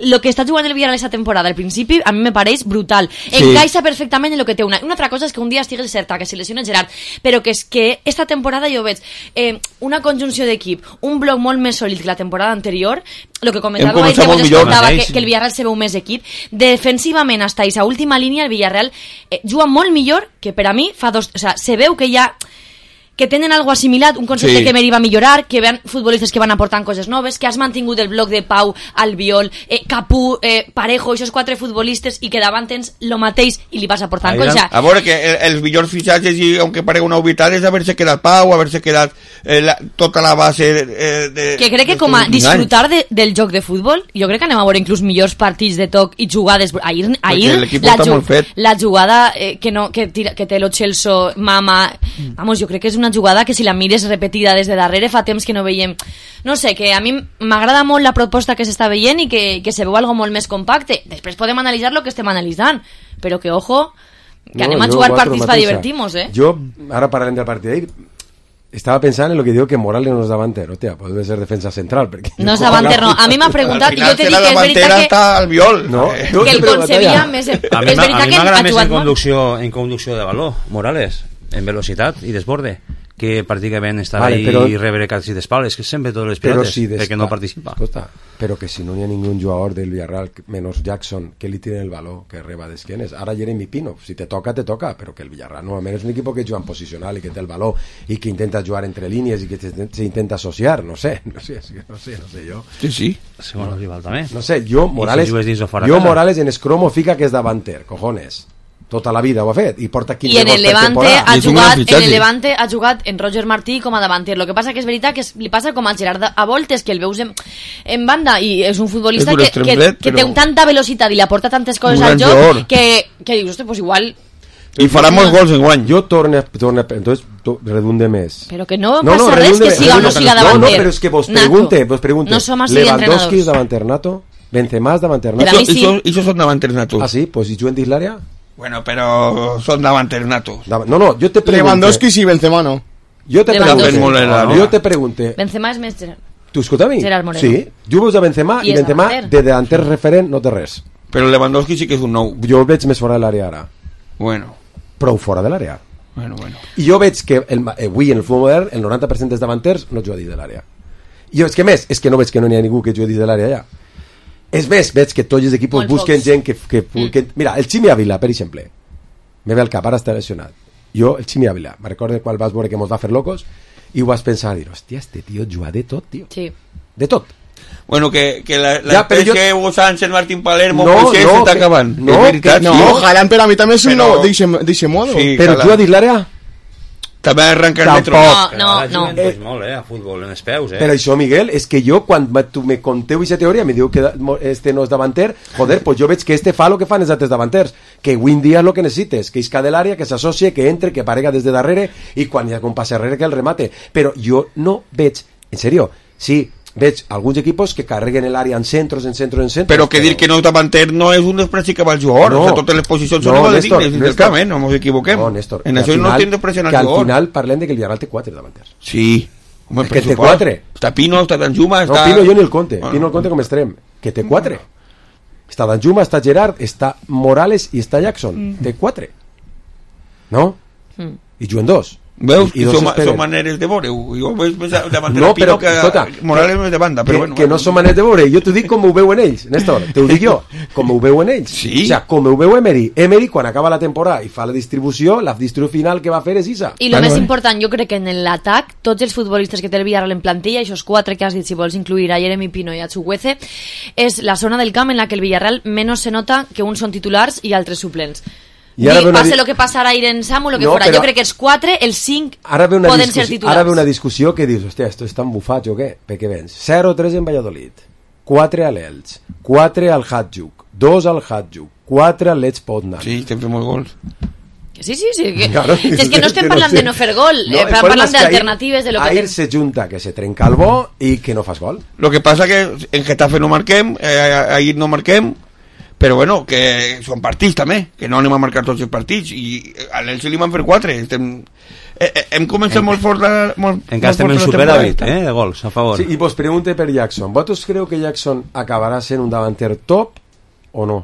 Lo que està jugant el Villarreal esta temporada al principi a mi me pareix brutal, sí. Encaixa perfectament en lo que té. Una, una altra cosa és que un dia estigues certa que se lesiona Gerard, però que és que esta temporada jo veig eh, una conjunció d'equip, un bloc molt més sòlid que la temporada anterior, lo que comentava ahir, que vos escoltava que, que el Villarreal se veu més equip defensivament hasta esa última línia el Villarreal eh, juga molt millor que per a mi fa dos, o sea, se veu que ja que tenen algo assimilat, un concepte sí. Que Meri va millorar, que vean futbolistes que van aportant coses noves, que has mantingut el bloc de Pau, Albiol, eh, Capú, eh, Parejo, aquests quatre futbolistes, i que davant tens lo mateix i li vas aportant coses. A veure, que el, els millors fitxatges, i aunque parega una obvietat, és haver-se quedat Pau, haver-se quedat eh, la, tota la base eh, de... Que crec que com a disfrutar de, del joc de futbol, jo crec que anem a veure inclús millors partits de toc i jugades. Ahir, ahir la, ju la jugada eh, que, no, que, tira, que té lo Chelsea, Mama, vamos, jo crec que és una jugada que si la mires repetida des de darrere fa temps que no veiem, no sé, que a mi m'agrada molt la proposta que s'està veient i que, que se veu algo molt més compacte. Després podem analitzar lo que estem analitzant, però que ojo, que no, anem a jugar partits per divertir-nos, eh? Jo, ara parlarem del partit d'ahir, estava pensant en lo que diu que Morales no és davanter, hòstia, pot ser defensa central, perquè... No és davanter, no. A mi m'ha preguntat i jo t'he dit que és veritat que... Està al viol. No, que el concebia més... És veritat que m'agrada més en conducció, en conducció de valor, Morales, en velocitat i desborde, que pràcticament estar vale, ahí però, i rebre quasi d'espales, que sempre totes les pilotes, si perquè no participa. Escolta, però que si no hi ha ningú jugador del Villarreal menos Jackson que li tiren el valor, que reba d'esquenes, ara Jeremy Pino, si te toca, te toca, però que el Villarreal normalment és un equip que juga en posicional i que té el valor i que intenta jugar entre línies i que s'intenta associar, no sé, no sé, no sé, no sé jo. Sí, sí. Segons el rival també. No sé, jo Morales, si jo Morales en escromo fica que és davanter, cojones. Tota la vida ho ha fet i porta quinze I en el Levante ha jugat en el Levante ha jugat en Roger Martí com a davanter. Lo que passa que és veritat que es, li passa com al Gerard a voltes, que el veus en, en banda i és un futbolista és que, que, dret, que té tanta velocitat i li aporta tantes coses al joc que, que dius, ostres, pues igual i farà molts gols en guany. Jo torne, torne entonces to, redunde més. Però que no, no passa no, res que siga o no siga davanter. No, no, però és que vos pregunte, vos pregunte. No som així Lewandowski és davanter nato, Benzema és davanter nato. I això són davanters natos. Ah, sí? Pues si juguen dins l'àrea? Bueno, pero son davanters natos. No, no, yo te pregunto. Lewandowski sí, Benzema no. Jo te pregunte, no? jo te pregunte... Benzema és més Gerard. Tu escolta a mi? Gerard Moreno. Sí, jo veus a Benzema i, i Benzema de delanter referent no té res. Però Lewandowski sí que és un nou. Jo veig més fora de l'àrea ara. Bueno. Prou fora de l'àrea. Bueno, bueno. I jo veig que el, avui en el futbol modern el noranta per cent dels davanters no juga dins de l'àrea. I és que més, és que no veig que no n'hi ha ningú que jugui dins de l'àrea ja. És més, veig que tots els equips Molt busquen focs. gent que... que, mm. que mira, el Ximi Ávila, per exemple, me ve al cap, ara està lesionat. Jo, el Ximi Ávila, me recordo quan vas veure que mos va fer locos i ho vas pensar, dir, hòstia, este tio juga de tot, tio. Sí. De tot. Bueno, que, que la, la ja, espècie jo... Hugo Sánchez, Martín Palermo, no, Moisés no, s'està que... acabant. No, que, no, sí. Haaland per a mi també és un però... nou, d'eixe modo. Sí, però Haaland. juga dins l'àrea? També arrenca el metro. No, no, no. Eh, molt, eh, a futbol, en els peus, eh. Però això, Miguel, és que jo, quan tu me conteu aquesta teoria, me diu que este no és davanter, joder, pues jo veig que este fa el que fan els altres davanters, que avui en dia és el que necessites, que isca de l'àrea, que s'associe, que entre, que aparega des de darrere, i quan hi ha un passe darrere que el remate. Però jo no veig, en serio, sí, veig alguns equipos que carreguen l'àrea en centros, en centros, en centros. Però que dir que no és davanter no és un despreci cap al jugador. No, o sigui, totes les posicions són no, igual de Néstor, dignes del camp, eh? No ens equivoquem. No, Néstor, en això no tenen despreci al jugador. Que al jugador. final parlem de que el Villarreal té quatre davanters. Sí. Home, que té quatre. Està Pino, està Danjuma, està... No, Pino jo ni el compte. Bueno. Pino el compte com extrem. Que té quatre. Està Danjuma, està Gerard, està Morales i està Jackson. Mm. Té quatre. No? Mm. I juguen dos. Veus? I, i són, són maneres de veure. Jo veig més davant de no, Pino però, que escolta, Morales més de banda. Però que, bueno, que no són maneres de veure. Jo t'ho dic com ho veuen ells, Néstor. T'ho dic jo. Com ho veuen ells. Sí. O sea, com ho veu Emery. Emery, quan acaba la temporada i fa la distribució, la distribució final que va fer és Isa. I el més important, jo crec que en l'atac, tots els futbolistes que té el Villarreal en plantilla, aquests quatre que has dit, si vols incluir a Jeremy Pino i a Chukwueze, és la zona del camp en la que el Villarreal menys se nota que uns són titulars i altres suplents. I ara Dic, passe el que passarà ahir en Samu, el que no, fora. Jo crec que els quatre, els cinc poden ser titulars. Ara ve una discussió que dius, hòstia, esto estan bufats o què? Perquè vens zero tres en Valladolid, quatre a l'Elx, quatre al Hajduk, dos al Hajduk, quatre al Lech Poznan. Sí, estem fent molts gols. Sí, sí, sí. Que, claro, si és que no estem parlant de no fer gol, no, eh, parlant d'alternatives de lo que... Ahir se junta que se trenca el bo i que no fas gol. Lo que passa que en Getafe no marquem, eh, ahir no marquem, però bueno, que són partits també, que no anem a marcar tots els partits, i a l'Elche li van fer quatre. Estem, eh, eh, hem començat en, molt fort la molt, encara estem en superàvit, eh, de gols a favor. Sí, i vos pregunte per Jackson, ¿vosotros creu que Jackson acabarà sent un davanter top o no?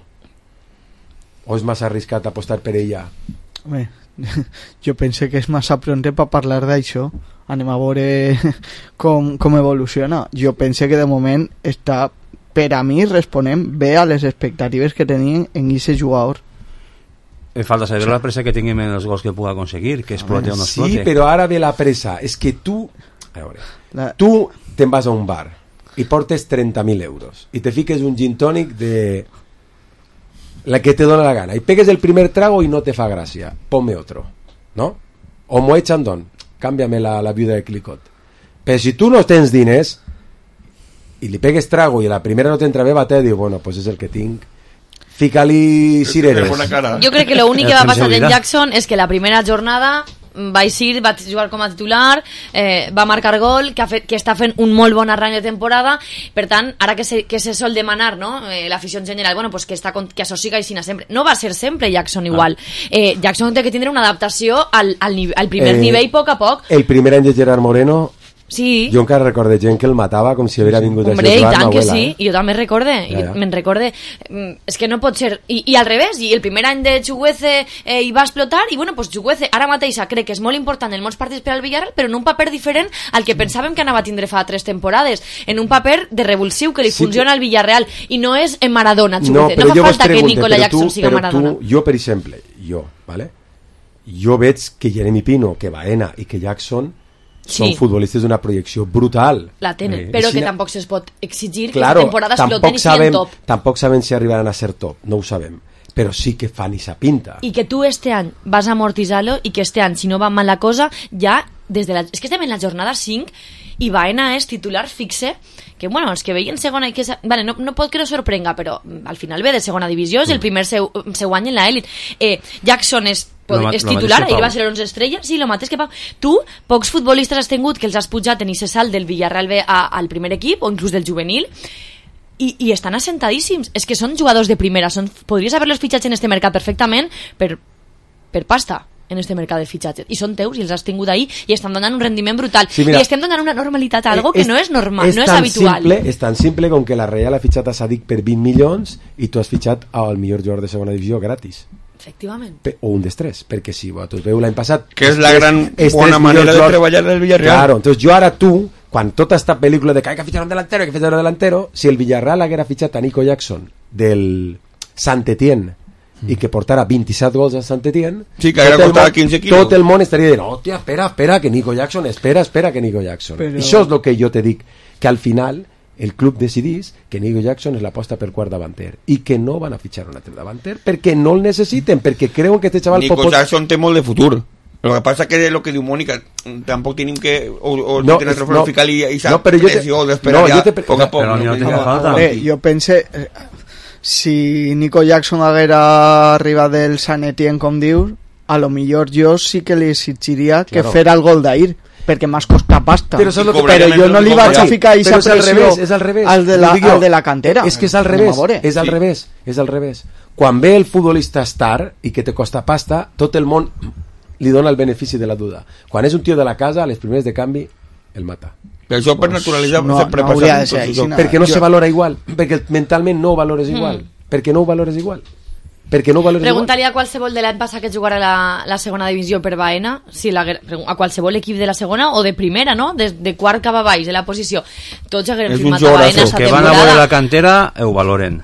O és massa arriscat apostar per ella? Bé, jo pense que és massa pronte per parlar d'això. Anem a veure com, com evoluciona. Jo pense que de moment està, per a mi, responem bé a les expectatives que tenien en aquest jugador. Em falta saber sí. la pressa que tinguem en els gols que pugui aconseguir, que explote o no explote. Sí, però ara ve la pressa. És que tu, a veure, la... tu te'n vas a un bar i portes trenta mil euros i te fiques un gin tònic de la que te dona la gana i pegues el primer trago i no te fa gràcia. Ponme otro, ¿no? O Moet Chandon, cámbiame la, la viuda de Clicot. Però si tu no tens diners i li pegues trago i a la primera no t'entra bé, va te diu, bueno, pues és el que tinc, fica-li cireres. Jo crec que l'únic que va passar en Jackson és que la primera jornada va eixir, va jugar com a titular, eh, va marcar gol, que, ha fet, que està fent un molt bon arrany de temporada. Per tant, ara que se, que se sol demanar, no? eh, l'afició en general, bueno, pues que, està, que associga així sempre. No va ser sempre Jackson igual. Eh, Jackson té que tindre una adaptació al, al, al primer eh, nivell poc a poc. El primer any de Gerard Moreno, sí. Jo encara recorde gent que el matava com si haguera vingut Hombre, a jugar ma abuela. Hombre, i tant que sí, eh? jo també recorde, ja, ja. me'n recorde. És que no pot ser... I, i al revés, i el primer any de Chukwueze eh, hi va explotar, i bueno, pues Chukwueze ara mateix crec que és molt important en molts partits per al Villarreal, però en un paper diferent al que pensàvem que anava a tindre fa tres temporades, en un paper de revulsiu que li sí, funciona al Villarreal, i no és en Maradona, Chukwueze. No, no fa falta pregunte, que Nicola Jackson tu, siga Maradona. Tu, jo, per exemple, jo, ¿vale? Jo veig que Jeremy Pino, que Baena i que Jackson són sí. futbolistes d'una projecció brutal. La tenen, eh, però que tampoc se'ls pot exigir claro, que aquesta temporada exploten i siguin top. Tampoc sabem si arribaran a ser top, no ho sabem, però sí que fan esa pinta. I que tu este any vas a amortitzar-lo i que este any, si no va mal la cosa, ja des de la... És que estem en la jornada cinc i Baena és titular fixe, que bueno, els que veien segona i que... Vale, no, no pot que no sorprenga, però al final ve de segona divisió, és el primer seu, seu any en l'elit. Eh, Jackson és Lo, és titular, ahir va ser l'onze estrella, sí, el mateix que Pau. Tu, pocs futbolistes has tingut que els has pujat en ese salt del Villarreal B a, al primer equip, o inclús del juvenil, i, i estan assentadíssims. És que són jugadors de primera, són, podries haver-los fitxats en este mercat perfectament per, per pasta. en este mercat de fitxatges, i són teus i els has tingut ahí i estan donant un rendiment brutal, sí, mira, i estem donant una normalitat a algo que és, no és normal, és no és habitual. Simple, és tan simple com que la Real ha fitxat a Sadik per vint milions i tu has fitxat al millor jugador de segona divisió gratis. Efectivament. Pe o un d'estrès, perquè si vosaltres veu l'any passat... Que és la gran bona manera de treballar el Villarreal. Claro, entonces yo ara tu, quan tota esta pel·lícula de que hay que fichar un delantero, hay que fichar un delantero, si el Villarreal haguera fitxat a Nico Jackson del Saint-Étienne i que portara vint-i-set gols a Saint-Étienne, sí, que haguera costat quinze quilos, tot el món estaria dient, hòstia, espera, espera, que Nico Jackson, espera, espera que Nico Jackson. Però... això és el que jo te dic, que al final el club decidís que Nico Jackson és l'aposta per quart davanter i que no van a fitxar un altre davanter perquè no el necessiten, perquè creuen que este chaval... Nico pot... Jackson té molt de futur. Lo que pasa que de lo que diu Mónica, tampoc tenim que o, o no, tener trofeu no, fiscal i, i no, però jo te... no, jo te... poc a poc. Però no, no, no, no, jo pense eh, si Nico Jackson haguera arribat del Sant Etienne, com dius, a lo millor jo sí que li exigiria que claro. Fera el gol d'ahir, perquè m'has costat pasta. Però, que però jo no li vaig a ficar aquesta pressió al revés, és al revés. Al de la, al de la cantera. És que és al revés, és al sí. revés, és al revés. Quan ve el futbolista star i que te costa pasta, tot el món li dona el benefici de la duda. Quan és un tio de la casa, a les primeres de canvi el mata. Però això per naturalitzar no, sempre no passa de ser, així, no. Perquè no jo... se valora igual, perquè mentalment no ho valores igual, mm. perquè no ho valores igual. Perquè no ho valores Preguntaria igual. a qualsevol de l'any passat que jugara la, la segona divisió per Baena, si la, a qualsevol equip de la segona o de primera, no? De, de quart cap a baix de la posició. Tots haguem firmat a Baena sa temporada. Que van a veure la cantera, ho valoren.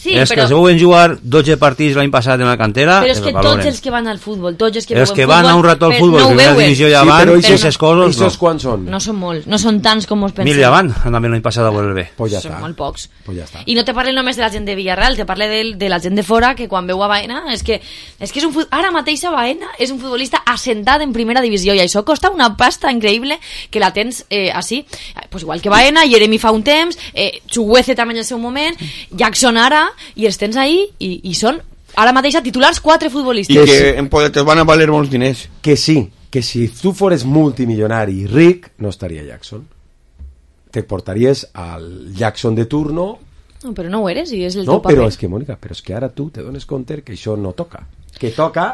Sí, és però... que si volen jugar dotze partits l'any passat en la cantera, però és que tots els que van al futbol, tots els que, els que van a un rato al futbol, no primera divisió ja sí, van, però aquestes coses no. Quants són? No són molts, no són tants com us penseu. Mil ja van, andaven l'any passat a veure el bé. Pues ja són està. molt pocs. Pues ja està. I no te parlen només de la gent de Villarreal, te parle de, de la gent de fora que quan veu a Baena és que, és que és un fut... ara mateix a Baena és un futbolista assentat en primera divisió i això costa una pasta increïble que la tens eh, així, pues igual que Baena, Jeremy fa un temps, eh, Chuguece també en el seu moment, Jackson ara, i els tens ahí I, i són ara mateix titulars quatre futbolistes i que en poder van a valer molts diners, que sí, que si tu fores multimilionari i ric no estaria Jackson, te portaries al Jackson de turno. No, però no ho eres i és el no, teu paper. Però és que Mònica, però és que ara tu te dones compte que això no toca, que toca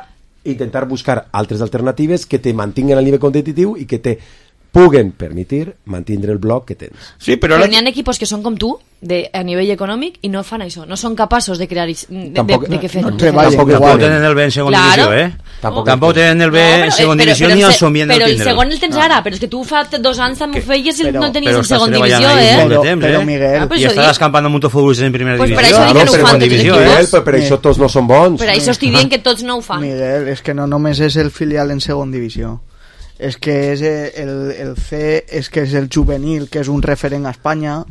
intentar buscar altres alternatives que te mantinguen al nivell competitiu i que te puguen permitir mantindre el bloc que tens. Sí, però però n'hi ha equipos que són com tu de, a nivell econòmic i no fan això, no són capaços de crear de, tampoc, de, de que fer no, tampoc, tampoc, tampoc tenen el bé en segona claro. divisió eh? tampoc, tampoc tenen el bé no, en segona divisió ni el somien però el el segon el tens no. ara, però és que tu fa dos anys també ho feies i no el tenies en segona divisió eh? Però, temps, però, Miguel, eh? i estàs escampant amb un futbolistes en primera pues divisió per això no, no ho fan tots els equips però per això tots no són bons per això estic dient que tots no ho fan Miguel, és que no només és el filial en segona divisió, és que és el, el C, és que és el juvenil, que és un referent a Espanya,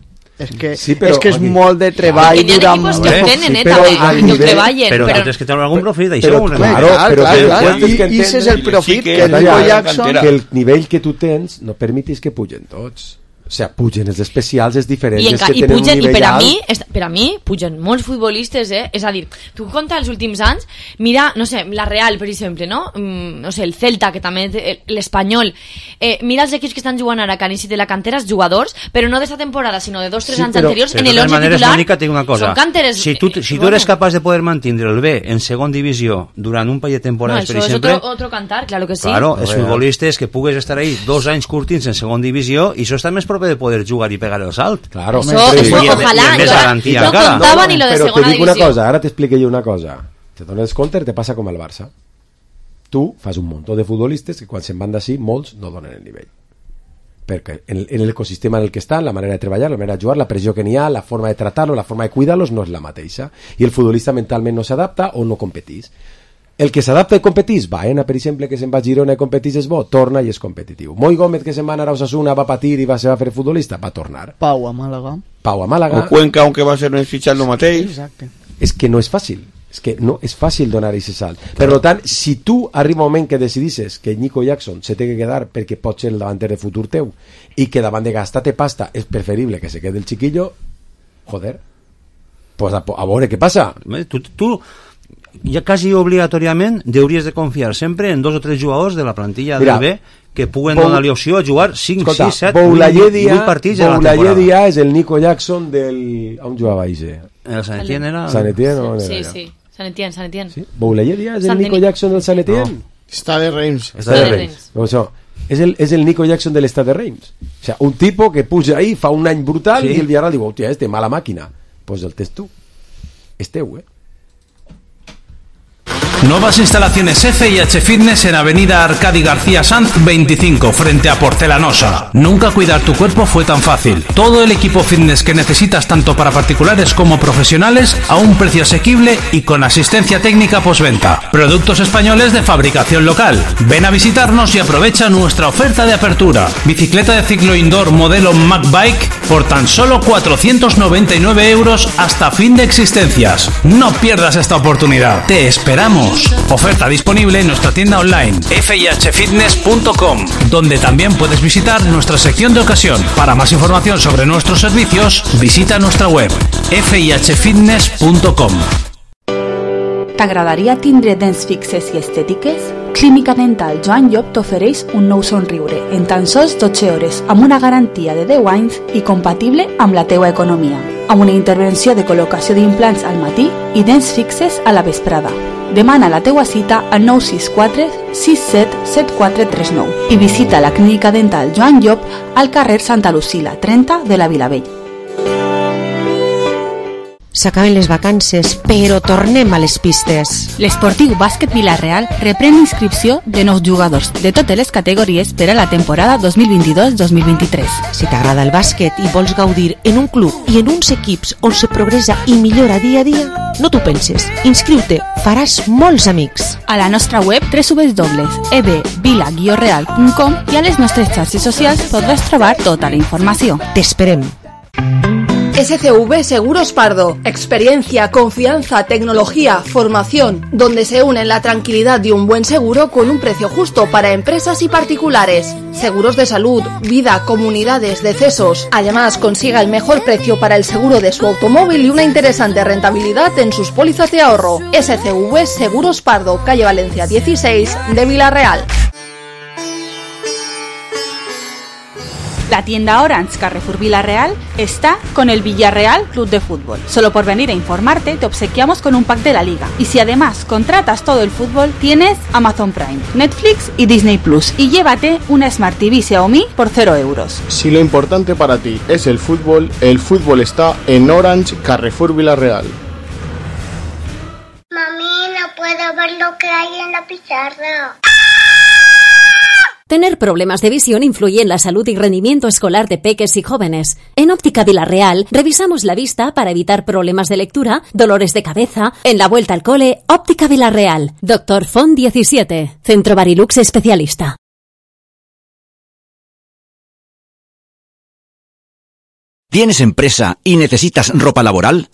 és que, sí, però, és, que és okay. molt de treball durant... Hi ha equipos que ho tenen, eh, també, que ho treballen. Però tens que treure algun profit, això. Però, claro, però i ese és el profit que el Nico Jackson... Que el nivell que tu tens no permetis que pugen tots. O sea, pugen els especials, és diferent. I, enca, i, pugen, i per, a mi, per a mi pugen molts futbolistes, eh? És a dir, tu compta els últims anys, mira, no sé, la Real, per exemple, no? Mm, no sé, el Celta, que també l'Espanyol. Eh, mira els equips que estan jugant ara, que han iniciat de la cantera, els jugadors, però no d'esta temporada, sinó de dos o tres sí, anys però, anteriors, en l'onze titular, Mónica, una cosa. Són canteres... Si tu, si tu eres capaç de poder mantindre el B en segon divisió durant un parell de temporades, no, per exemple... Això és otro, otro cantar, claro que sí. Claro, els futbolistes que pugues estar ahí dos anys curtins en segon divisió, i això està més propi de poder jugar i pegar el salt. Claro, eso, eso, ojalá, yo no contaba ni lo de pero segona te digo divisió. Una cosa, ara t'explico jo una cosa. Te dones compte, te passa com al Barça. Tu fas un munt de futbolistes que quan se'n van d'ací, molts no donen el nivell. Perquè en, en l'ecosistema en el que estan, la manera de treballar, la manera de jugar, la pressió que n'hi ha, la forma de tratar-los, la forma de cuidar-los no és la mateixa. I el futbolista mentalment no s'adapta o no competís. El que s'adapta i competís, Baena, per exemple, que se'n va a Girona i competís és bo, torna i és competitiu. Moi Gómez, que se'n va anar a Osasuna, va patir i va ser a fer futbolista, va tornar. Pau a Màlaga. Pau a Màlaga. O Cuenca, aunque va ser un fitxat el mateix. Exacte. És que no és fàcil. És que no és fàcil donar aquest salt. Per tant, si tu arriba un moment que decidisses que Nico Jackson se té que quedar perquè pot ser el davanter de futur teu i que davant de gastar-te pasta és preferible que se quede el chiquillo, joder, pues a, a veure què passa. Tu... tu... ja quasi obligatòriament hauries de confiar sempre en dos o tres jugadors de la plantilla Mira, del B que puguen Bou... donar-li opció a jugar cinc, sis, set, vuit partits de la temporada. Boulayedia és el Nico Jackson del... on jugava Ige? El Sant Etienne era... Sant Etienne, no? Sí, sí, Sant Etienne, Sant Etienne. Sí? Boulayedia és el Nico Jackson del Sant Etienne? No. Stade Reims. Stade Reims. O sea, és el, és el Nico Jackson de l'Stade Reims. O sea, un tipo que puja ahí, fa un any brutal, sí. I el Villarreal diu, hòstia, este, mala màquina. Pues el tens tu. És teu, eh? Nuevas instalaciones F I H Fitness en Avenida Arcadi García Sanz veinticinco, frente a Porcelanosa. Nunca cuidar tu cuerpo fue tan fácil. Todo el equipo fitness que necesitas tanto para particulares como profesionales a un precio asequible y con asistencia técnica postventa. Productos españoles de fabricación local. Ven a visitarnos y aprovecha nuestra oferta de apertura. Bicicleta de ciclo indoor modelo Mac Bike por tan solo cuatrocientos noventa y nueve euros hasta fin de existencias. No pierdas esta oportunidad. Te esperamos. Oferta disponible en nuestra tienda online f i h fitness punto com, donde también puedes visitar nuestra sección de ocasión. Para más información sobre nuestros servicios, visita nuestra web f i h fitness punto com. T'agradaria tindre dents fixes i estètiques? Clínica Dental Joan Llop t'ofereix un nou somriure en tan sols dotze hores amb una garantia de deu anys i compatible amb la teua economia, amb una intervenció de col·locació d'implants al matí i dents fixes a la vesprada. Demana la teua cita al nou sis quatre sis set set quatre tres nou i visita la Clínica Dental Joan Llop al carrer Santa Lucila trenta de la Vilavella. S'acaben les vacances, però tornem a les pistes. L'Esportiu Bàsquet Vila-real reprèn l'inscripció de nous jugadors de totes les categories per a la temporada dos mil vint-i-dos dos mil vint-i-tres. Si t'agrada el bàsquet i vols gaudir en un club i en uns equips on se progressa i millora dia a dia, no t'ho penses. Inscriu-te, faràs molts amics. A la nostra web w w w punt e b vila guió real punt com i a les nostres xarxes socials podràs trobar tota la informació. T'esperem. S C V Seguros Pardo. Experiencia, confianza, tecnología, formación, donde se unen la tranquilidad de un buen seguro con un precio justo para empresas y particulares. Seguros de salud, vida, comunidades, decesos. Además, consiga el mejor precio para el seguro de su automóvil y una interesante rentabilidad en sus pólizas de ahorro. S C V Seguros Pardo, calle Valencia dieciséis de Vila-real. La tienda Orange Carrefour Vila-real está con el Villarreal Club de Fútbol. Solo por venir a informarte te obsequiamos con un pack de la liga. Y si además contratas todo el fútbol, tienes Amazon Prime, Netflix y Disney Plus. Y llévate una Smart T V Xiaomi por cero euros. Si lo importante para ti es el fútbol, el fútbol está en Orange Carrefour Vila-real. Mami, no puedo ver lo que hay en la pizarra. Tener problemas de visión influye en la salud y rendimiento escolar de peques y jóvenes. En Óptica Vila-real revisamos la vista para evitar problemas de lectura, dolores de cabeza. En la vuelta al cole, Óptica Vila-real. Doctor Font diecisiete. Centro Barilux especialista. ¿Tienes empresa y necesitas ropa laboral?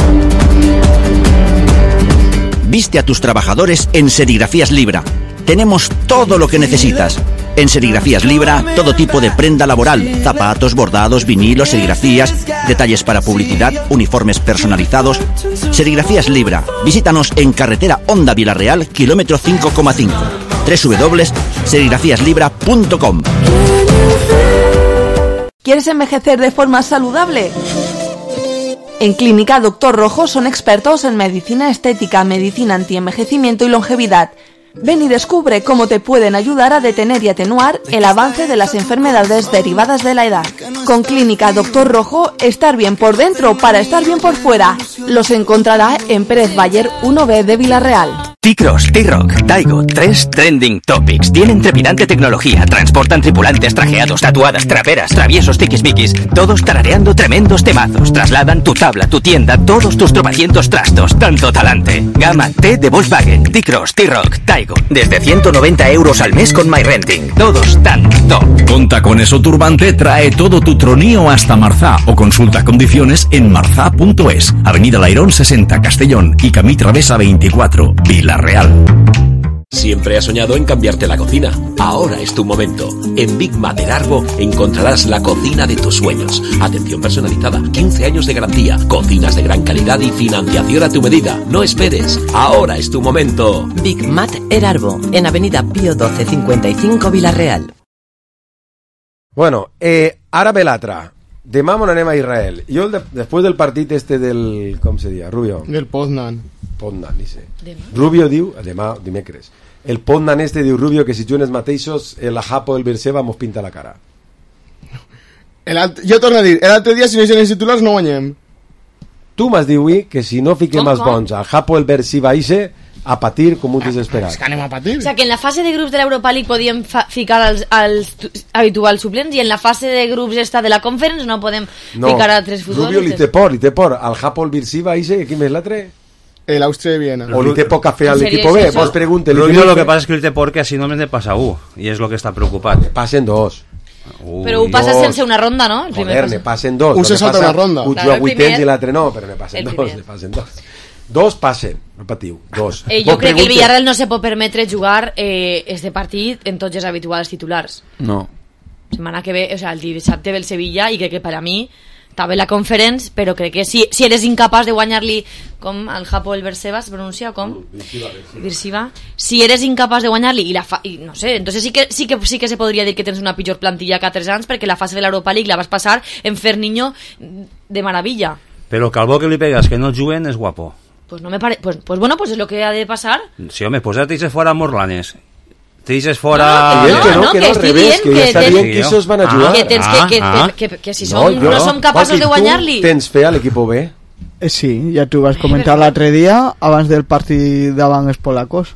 Viste a tus trabajadores en Serigrafías Libra. Tenemos todo lo que necesitas. En Serigrafías Libra, todo tipo de prenda laboral, zapatos, bordados, vinilos, serigrafías, detalles para publicidad, uniformes personalizados. Serigrafías Libra. Visítanos en carretera Honda Vila-real, kilómetro cinco coma cinco. w w w punto serigrafías libra punto com. ¿Quieres envejecer de forma saludable? En Clínica Doctor Rojo son expertos en medicina estética, medicina antienvejecimiento y longevidad. Ven y descubre cómo te pueden ayudar a detener y atenuar el avance de las enfermedades derivadas de la edad. Con Clínica Doctor Rojo, estar bien por dentro para estar bien por fuera. Los encontrará en Pérez Bayer uno B de Vila-real. T-Cross, T-Rock, Taigo, tres trending topics. Tienen trepidante tecnología, transportan tripulantes trajeados, tatuadas, traperas, traviesos, tiquismiquis, todos tarareando tremendos temazos. Trasladan tu tabla, tu tienda, todos tus tropecientos trastos, tanto talante. Gama T de Volkswagen, T-Cross, T-Rock, Taigo, desde ciento noventa euros al mes con MyRenting. Todos tan top. Conta con eso Turbante, trae todo tu tronío hasta Marzá o consulta condiciones en marzá punto es. Avenida Lairón sesenta, Castellón y Camí Travesa veinticuatro, Vila Real. Siempre has soñado en cambiarte la cocina. Ahora es tu momento. En Big Mater Arbo encontrarás la cocina de tus sueños. Atención personalizada, quince años de garantía, cocinas de gran calidad y financiación a tu medida. No esperes. Ahora es tu momento. Big Mater Arbo, en Avenida Pío doce cincuenta y cinco, Vila-real. Bueno, eh, ara ve l'altre. Demà mon anem a Israel. Jo, de, després del partit este del... Com se diu? Rubio? Del Poznan. Poznan, dice. Demà? Rubio diu, demà, dimecres, el Pondan este diu Rubio que si juguen els mateixos el Ajapo del Berseba mos pinta la cara. El alt... Jo torno a dir, l'altre dia si no hi els titulars no guanyem. Tu m'has dit avui que si no fiquem Com, els com? bons al Japo el Bersiva ixe a patir com un desesperat. És que anem a patir. O sea, que en la fase de grups de l'Europa League podíem fa- ficar els, els tu- habituals suplents i en la fase de grups esta de la Conference no podem No, ficar a tres Rubio li futbolistes. té por, li té por al Japo el Bersiva ixe, qui més l'altre? El Austria de Viena. O li té poca fe al ¿En serio equipo es B, eso? vos pregunte. Rubio lo que pasa es que él te porque así no me te pasa U y es lo que está preocupado. Pasen dos. Però ho passes dos. sense una ronda, no? El primer Joder, ne pas. passen dos. Un Lo se que salta passa, una ronda. Un Claro, juga el vuitens primer- i l'altre no, però ne passen el dos. primer. Ne passen dos. Dos passen, no patiu, dos. Eh, Vos jo crec que el pregunte- Villarreal no se pot permetre jugar eh, este partit en tots els habituals titulars. No. Setmana que ve, o sea, el dissabte ve el Sevilla i crec que per a mi està bé la Conference, però crec que si, si eres incapaç de guanyar-li com al Japo el Berseba es pronuncia com Birsiva, si eres incapaç de guanyar-li i la fa, i no sé, entonces sí que, sí que sí que se podria dir que tens una pitjor plantilla que a tres anys perquè la fase de l'Europa League la vas passar en fer niño de maravilla. Pero Calvo que le pegas que no juguen es guapo. Pues no me pare... pues, pues bueno, pues es lo que ha de pasar. Sí, hombre, pues ya te dices fuera Morlanes. Te dices fuera... No, que no, no, que que no, al estoy revés, bien, que ja que està ten- bien que esos van a jugar. Que, tens que, que, Ah, que, que, que si som, no, jo- som capaços Joaquín, de guanyar-li. Tu tens fe a l'equipo B? Eh, sí, ja t'ho vas comentar l'altre dia abans del partit davant els polacos.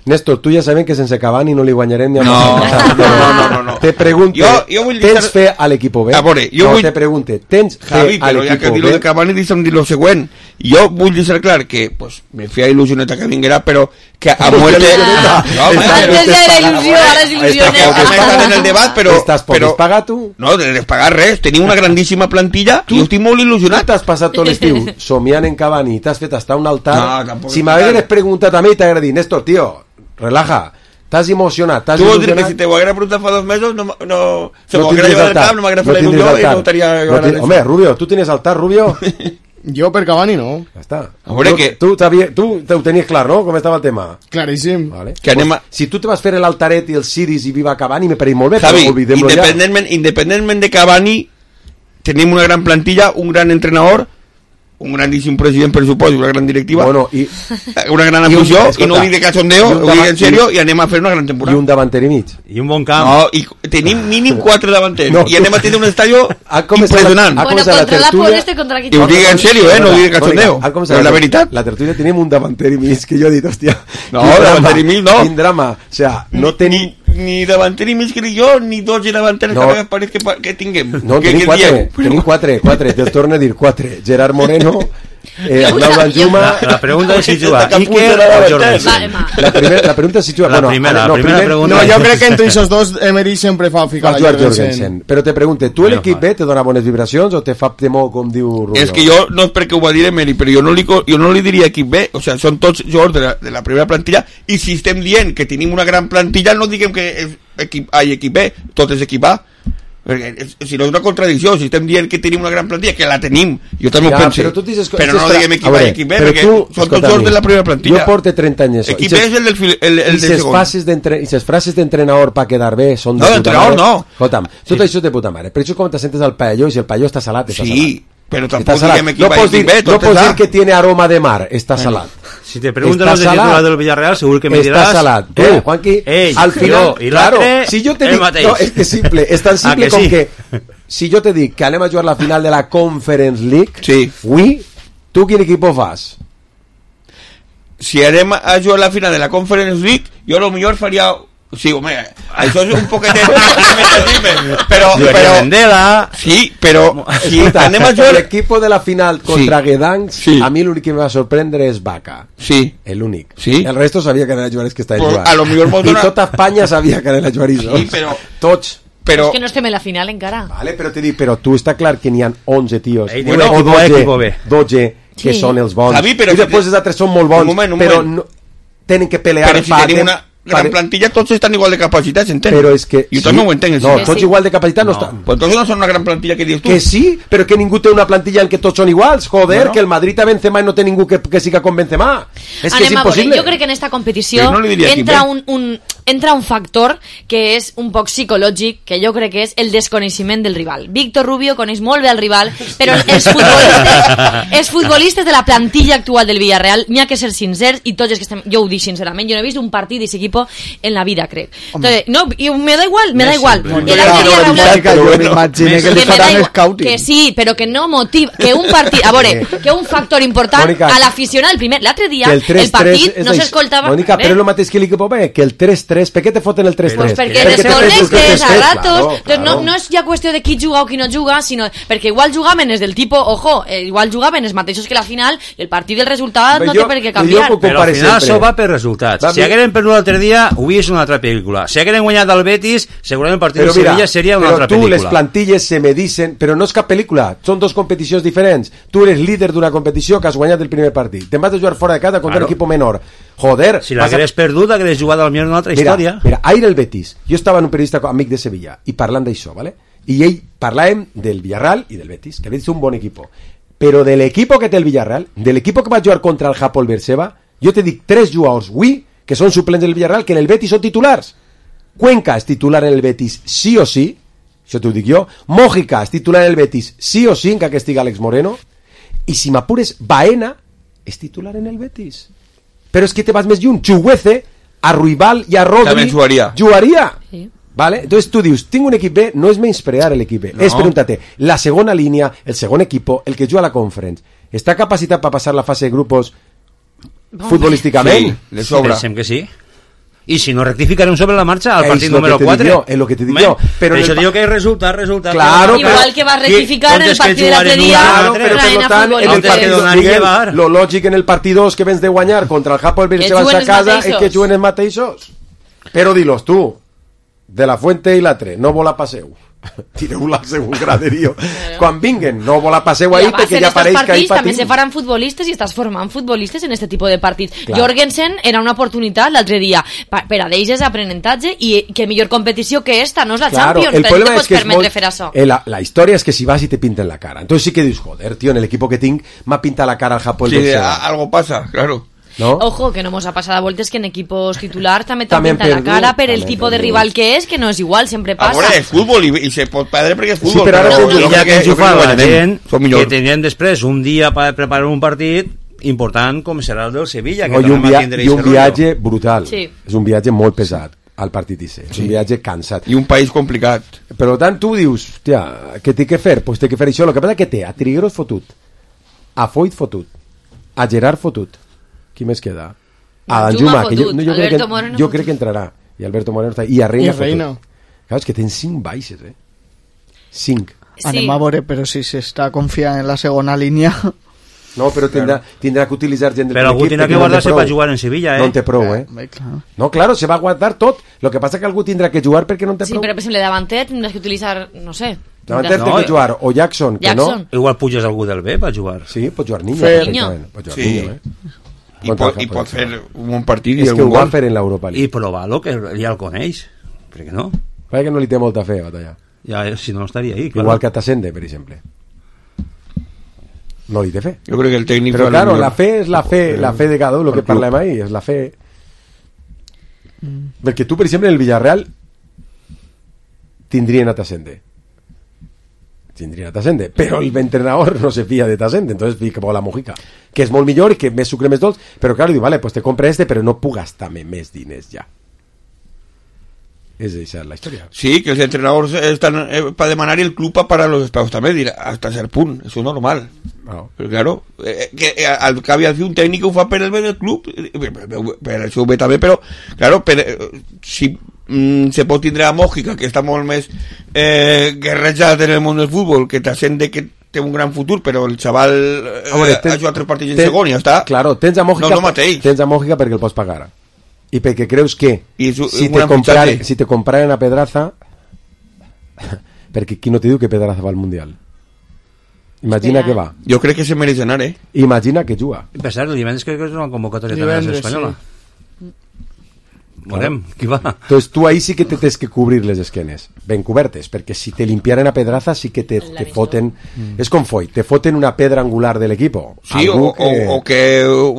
Néstor, tu ja sabem que sense Cavani no li guanyarem ni a No, Madrid. no, no, no, no. Te pregunte, Jo- jo vull tens deixar- fe a l'equipo B? A veure, jo no, vull- te pregunte, tens fe Javi, a però ja que l'equipo dir lo B? de Cavani deixa'm dir lo següent. Jo vull deixar clar que pues, me feia il·lusioneta que vinguera, però que a muerte... Ah, No, home, Antes ya era il·lusió, ara és il·lusió. Tampoc hem estat en el debat, però... Estàs poc però pagar tu? no, de despagar res. Tenim una grandíssima plantilla i jo estic molt il·lusionat. T'has passat tot l'estiu somiant en Cavani i t'has fet hasta un altar. No, tampoc si és m'hagueres tant. preguntat a mi t'hagués dit, Néstor, tío, relaja, t'has emocionat, t'has Tu vols dir que il·lusionat. si te ho haguera preguntat fa dos mesos no, no, se No m'ho haguera tindries llevat del altar, cap, no m'haguera no fet la tindries il·lusió i altar. no estaria No ganant ti- això. Home, Rubio, tu tienes altar, Rubio? Jo per Cavani no. Ja està. A veure tu, que- tu, t'havia- tu te ho tenies clar, no? Com estava el tema? Claríssim. Vale. Que anem a- Pues, si tu te vas fer l'altaret i el Siris i Viva Cavani, me pareix molt bé, Javi, però oblidem-lo ja. independentment, independentment de Cavani, tenim una gran plantilla, un gran entrenador, un grandíssim president, per suposo, una gran directiva, Bueno, i, una gran i un- afició, i, escolta, no ho dic de cachondeo, i un ho dic davant- en serio, i anem a fer una gran i temporada. un davanter i mig. Y un bon camp. No, i tenim mínim quatre davanters, No, i anem a tenir un estadio Ha començat impressionant. la- ha Bueno, començat la contra la tertúlia- por este, contra qui I ho dic en serio, eh, no ho dic de cachondeo, Ha començat és la veritat. La tertúlia tenim un davanter i mig, que jo he dit, hòstia, No, quin drama, davanter i mig no. Quin drama. O sea, no tenim... Ni, ni davanter i mig que dic jo, ni dos davanters No. que a vegades pareix que, pa- que tinguem. No, que, tenim que quatre, dieu. tenim quatre, quatre, te torno a dir quatre. Gerard Moreno, eh, Arnau Danjuma... La, la pregunta es si Está juga tan Iker puta la o davanter. Jorgensen. Va, Emma. La, primer, la pregunta és si juga... La primera, la no, primera primer- pregunta. No, jo crec que entre esos dos Emery sempre fa ficar Va a jugar Jorgensen. Jorgensen. Però te pregunte, tu Bueno, l'equip fa. B te dona bones vibracions o te fa temor, com diu Rubio? És que jo, no és perquè ho va dir Emery, però jo no li, co- jo no li diria equip B, o sea, són tots jugadors de la, de la primera plantilla, i si estem dient que tenim una gran plantilla, no diguem que és equip A i equip B, tot és equip A, perquè és, si no és una contradicció, si estem dient que tenim una gran plantilla, que la tenim, jo també Ja, ho penso, però tu dices- però dices no fra- diguem a equip A veure, i equip B, però perquè tu, són tots escolta, jugadors mi, de la primera plantilla. Jo porto trenta anys. Equip B és el del, fil- el, el I del ses segon. fases d'entre- i ses frases d'entrenador per quedar bé són de No, puta d'entrenador mare. no. Escolta'm, tot això és de puta mare. Però això com te sentes al paelló i si el paelló està salat, està Sí, però salat. tampoc Està salat. diguem equip No A i pots dir, equip B, no tot pots és dir A. que tiene aroma de mar, està salat. Si te preguntan Está los de salat. titular del Villarreal, seguro que me Está dirás... salat. tú, Eh, Juanqui, ell, al final, jo i claro, l'altre, si yo te el dic, mateix. no, es que simple, es tan Ah, simple que com sí? que si jo te dic que anem a jugar la final de la Conference League, Sí. avui, tu quin equip fas? Si anem a jugar la final de la Conference League, jo a lo millor faria... Sí, home, això és un poquetet... però, Llevaria però... Vendela. Sí, però... Si Escolta, anem a jugar... l'equip de la final contra Sí. Gdansk, Sí. a mi l'únic que me va sorprendre és Vaca. Sí. El únic. Sí. El resto sabia que anava a jugar els que estaven Pues, jugant. a lo millor mos I dona- tota Espanya sabia que anava a jugar ells. Sí, però... Tots. Però... És que no estem en la final encara. Vale, però te dic, però tu està clar que n'hi ha onze tios, Ell bueno, diu o equipo A, dotze, equipo B. dotze que Sí. són els bons. Javi, però I si després te- els altres són molt bons, Un moment, un però moment. no, tenen que pelear Però si pa- tenim una gran pa- plantilla, tots estan igual de capacitats, entens? Però és que... Jo també ho entenc, No, sí. tots Sí. igual de capacitat no, No. estan. Pues entonces no són una gran plantilla que dius tu. Que sí, però que ningú té una plantilla en què tots són iguals. Joder, Bueno. que el Madrid a Benzema i no té ningú que, que siga con Benzema. És que és Anem a veure, impossible. jo crec que en esta competició Però no li diria entra equip B. un, un, entra un factor que és un poc psicològic, que jo crec que és el desconeixement del rival. Víctor Rubio coneix molt bé el rival, però els futbolistes, els futbolistes de la plantilla actual del Villarreal, n'hi ha que ser sincers, i tots els que estem, jo ho dic sincerament, jo no he vist un partit d'aquest equip en la vida, crec. Entonces, no, y me da igual, me da igual. Que sí, però que no motiva, que un partit, a veure, que un factor important a l'aficionat del primer, l'altre dia, el partit no s'escoltava... Mònica, però és el mateix que l'equip B, que el tres tres, per què te foten el tres tres? Pues perquè desconectes a ratos, no és ja qüestió de qui juga o qui no juga, sinó perquè igual jugaven els del tipo, ojo, igual jugaven els mateixos que la final, i el partit del resultat no té per què canviar. Però al final això va per resultats. Si hagueren perdut l'altre dia, hauria una altra pel·lícula. Si hagueren guanyat el Betis, segurament el partit de Sevilla seria una altra pel·lícula. Però tu, les plantilles se me dicen, però no és cap pel·lícula, són dos competicions diferents. Tu eres líder d'una competició que has guanyat el primer partit. Te'n vas a jugar fora de casa contra un equip menor. Joder. Si l'hagués perdut, hagués jugat al millor una altra història. Mira, ahir el Betis, jo estava en un periodista amic de Sevilla i parlant d'això, ¿vale? I ell parlàvem del Villarreal i del Betis, que el Betis és un bon equip. Però de l'equip que té el Villarreal, de l'equip que va jugar contra el Hapoel Beersheva, jo te dic tres jugadors avui que són suplents del Villarreal que en el Betis són titulars. Cuenca és titular en el Betis sí o sí, això t'ho dic jo. Mójica és titular en el Betis sí o sí, encara que estigui Alex Moreno. I si m'apures, Baena és titular en el Betis. Però és que te vas més lluny. Chuguece, a Ruibal i a Rodri també jugaria. Jugaria. Sí. ¿Vale? Entonces tú dius, tinc un equip B, no és menysprear l'equip B, no. És preguntar-te, la segona línia, el segon equipo, el que juga a la Conference, està capacitat per passar la fase de grupos no, futbolísticament? Sí, le sobra. Pensem que sí. I si no rectificarem sobre la marxa al partit número quatre. És lo que te dic jo. Però això diu que és resultat, resultat. Claro, igual que va rectificar en el partit de l'altre dia. Claro, però per tant, en el partit, lo lògic en el partit dos que vens de guanyar contra el Hapoel Beersheva a casa és que juguen els mateixos. Però dilos tu, de la Fuente i l'altre, no vola passeu. Tireu-la al segon graderio. Quan vinguen, no vola passeu ahí perquè ja pareix que ahí patim. També se faran futbolistes i estàs formant futbolistes en este tipus de partits. Clar. Jorgensen era una oportunitat l'altre dia per a d'ells és aprenentatge i que millor competició que esta, no és la claro, Champions, però no te pots permetre molt... fer això. Eh, la, la història és que si vas i te pinten la cara. Entonces sí que dius, joder, tío, en el equipo que tinc m'ha pintat la cara al Hapoel Beersheva. Sí, algo pasa, claro. ¿No? Ojo, que no nos ha pasado a vueltas que en equipos titular también te pinta la cara, pero el tipo de rival que es, que no es igual, siempre pasa. Ahora es fútbol y, y se pot perdre perquè és fútbol. Sí, però ara no, no, ja que enxufava la gent que tenien després un dia per preparar un partit important com serà el del Sevilla, que no, i un, via i un viatge brutal. Sí. És un viatge molt pesat al partit I C. És sí. un viatge cansat. I un país complicat. Per tant, tu dius, hòstia, què té que fer? Pues té que fer això. El que passa que té a Trigueros fotut, a Foyt fotut, a Gerard fotut. Qui més queda? A Danjuma, que jo, no, jo, crec que, Moreno jo crec que entrarà. I Alberto Moreno està. I a Reina, Reina. Clar, és que tens cinc baixes, eh? Cinc. Sí. Anem a veure, però si s'està confiant en la segona línia... No, però tindrà, tindrà que utilitzar gent del però algú tindrà que guardar-se per jugar en Sevilla, eh? No en té prou, eh? eh claro. No, claro, se va a guardar tot. Lo que passa que algú tindrà que jugar perquè no en té sí, prou. Sí, però per exemple, davanter tindràs que utilitzar, no sé... Davanter no, té que jugar o Jackson, que Jackson. no... Igual puges algú del B per jugar. Sí, pot jugar Niño. Niño. Pot jugar sí. Niño, eh? I pot, i pot fer un bon partit i és que ho va fer en l'Europa League i provar-lo, que ja el coneix, per què no? Perquè no li té molta fe, Batalla. Ja, si no estaria ahí, claro. Igual que a Tasende, per exemple, no li té fe. Jo crec que el tècnic però claro, la fe és la fe, la fe de cada un, lo que parlem ahí és la fe mm. perquè tu, per exemple, en el Villarreal tindrien a Tasende tindrien a Tasende, però el entrenador no se fia de Tasende, entonces fica por la Mojica, que és molt millor i que més sucre més dolç, però claro, diu, vale, pues te compre este, però no puc gastar-me més diners ja. És esa la història. Sí, que els entrenadors estan eh, para demanar y el club para pagar los despegos también, dirà, hasta ser punt, eso es normal. No. Pero claro, eh, que eh, al que havia de fer un tècnic ho fa per el bé del club, per això ho ve també, però claro, per, eh, si mm, se pot tindre a Mójica, que està molt més eh, guerrejat en el món del futbol, que t'assent de que té un gran futur, però el xaval eh, ah, bueno, ten, ha jugat tres partits en segon i ja està. Claro, tens a Mójica, no, no tens a Mójica perquè el pots pagar. I perquè creus que su, si, te comprar, si te compraren a Pedraza perquè qui no te diu que Pedraza va al Mundial? Imagina que va. Jo crec que se mereix anar, eh? Imagina que juga. Per cert, el divendres crec que és una convocatòria també espanyola. Veurem, qui va. Entonces tu ahí sí que te tens que cobrir les esquenes, ben cobertes, perquè si te limpiaren a pedraza sí que te, te foten, mm. és com foi, te foten una pedra angular de l'equipo. Sí, o que... O, o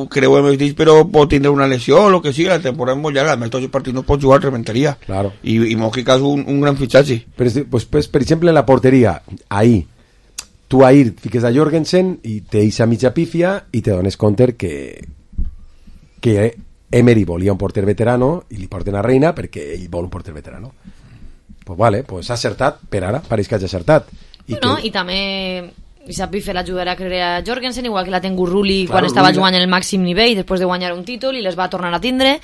que creu el dit, però pot tindre una lesió o lo que sigui, la temporada és molt llarga, a més tots els partits no pots jugar, reventaria. Claro. I, i Mojica és un, un gran fitxatge. Però, pues, pues, per exemple, en la porteria, ahí, tu ahir fiques a Jorgensen i te deixa mitja pífia i te dones compte que que Emery volia un porter veterano i li porten a Reina perquè ell vol un porter veterano. Pues vale, pues ha acertat, per ara pareix que hagi acertat. I, no, que... i també Issa Piffer l'ajudarà a creure a Jorgensen, igual que la ten Gurruli claro, quan estava jugant en el màxim nivell després de guanyar un títol i les va tornar a tindre.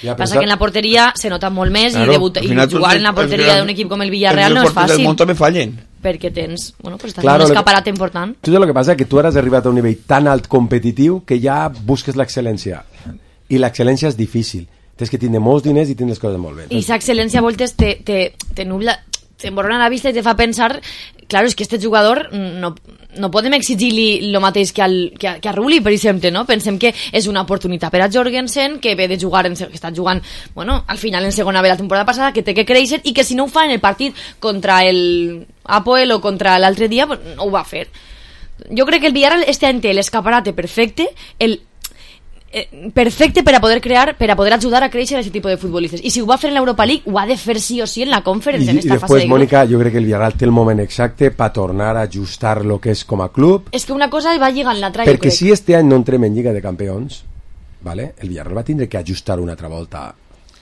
Ja, passa pensar... que en la porteria se nota molt més claro, i, debuta, i jugar en la porteria d'un equip com el Villarreal no és fàcil. El món també fallen. Perquè tens, bueno, pues estàs claro, un escaparat important. Tu saps el que passa? Que tu ara has arribat a un nivell tan alt competitiu que ja busques l'excel·lència. I l'excel·lència és difícil. Tens que tindre molts diners i tindre les coses molt bé. I aquesta excel·lència a voltes te, te, te nubla, t'emborrona la vista i te fa pensar, claro, és que este jugador no, no podem exigir-li el mateix que, al, que, a, que a Rulli, per exemple, no? Pensem que és una oportunitat per a Jorgensen, que ve de jugar, en, que està jugant, bueno, al final en segona B la temporada passada, que té que créixer i que si no ho fa en el partit contra el Apoel o contra l'altre dia, pues, no ho va fer. Jo crec que el Villarreal este any té l'escaparate perfecte, el perfecte per a poder crear, per a poder ajudar a créixer a aquest tipus de futbolistes. I si ho va fer en l'Europa League, ho ha de fer sí o sí en la Conference, I, en esta i fase de grup. Mònica, jo crec que el Villarreal té el moment exacte per tornar a ajustar lo que és com a club. És que una cosa va lligant l'altra, jo crec. Perquè si este any no entrem en Lliga de Campions, ¿vale? El Villarreal va tindre que ajustar una altra volta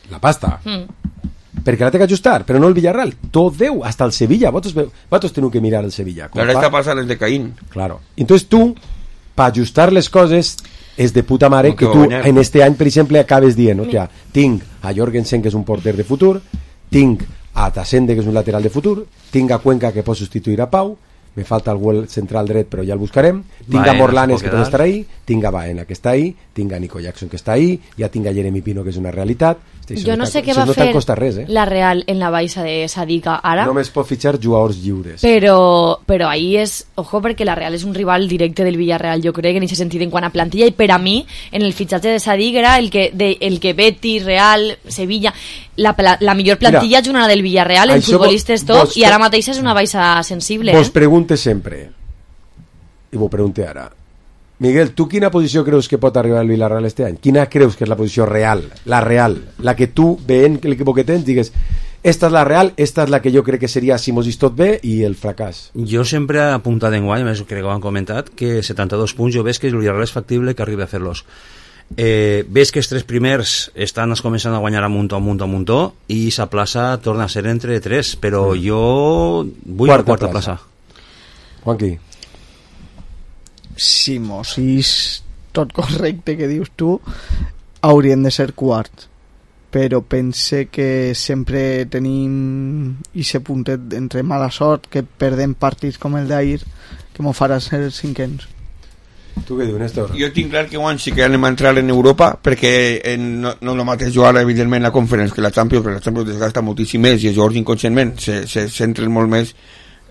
la pasta. Mm. Perquè la té que ajustar, però no el Villarreal. Tot Déu, hasta el Sevilla. Vosaltres teniu que mirar el Sevilla. La està passant el de Caín. Claro. Entonces tu, per ajustar les coses... és de puta mare que, que tu en este any, per exemple, acabes dient, hòstia, tinc a Jorgensen, que és un porter de futur, tinc a Tasende, que és un lateral de futur, tinc a Cuenca, que pot substituir a Pau, me falta algú central dret, però ja el buscarem, tinc Baena, a Morlanes, que pot estar ahí, tinc a Baena, que està ahí, tinc a Nico Jackson, que està ahí, ja tinc a Jeremy Pino, que és una realitat. Jo no sé què va no fer res, eh? la Real en la baixa de Sadiqa ara. Només pot fitxar jugadors lliures. Però, però ahí és, ojo, perquè la Real és un rival directe del Villarreal, jo crec, en aquest sentit, en quant a plantilla, i per a mi, en el fitxatge de Sadiq era el que, de, el que Betis, Real, Sevilla, la, la, la millor plantilla és una del Villarreal, en futbolistes top, vos, i ara mateix és una baixa sensible. Vos eh? pregunte sempre, i vos pregunte ara, Miguel, tu quina posició creus que pot arribar el Villarreal este any? Quina creus que és la posició real? La real, la que tu, veient l'equip que tens, digues, esta és la real, esta és la que jo crec que seria si mos tot bé i el fracàs. Jo sempre he apuntat en guany, més crec que ho han comentat, que setanta-dos punts jo veig que el Villarreal és factible que arribi a fer-los. Eh, ves que els tres primers estan començant a guanyar a muntó, a muntó, a muntó i sa plaça torna a ser entre tres, però mm. jo vull quarta la quarta plaça. plaça. Juanqui. Si mos és tot correcte que dius tu, haurien de ser quarts, però pense que sempre tenim ese puntet entre mala sort, que perdem partits com el d'ahir, que m'ho farà ser cinquens. Tu què dius, Néstor? Jo tinc clar que guany sí que anem a entrar en Europa, perquè en, no, no el mateix jugar evidentment la Conference que la Champions, perquè la Champions desgasta moltíssim més i els jugadors inconscientment se, se centren molt més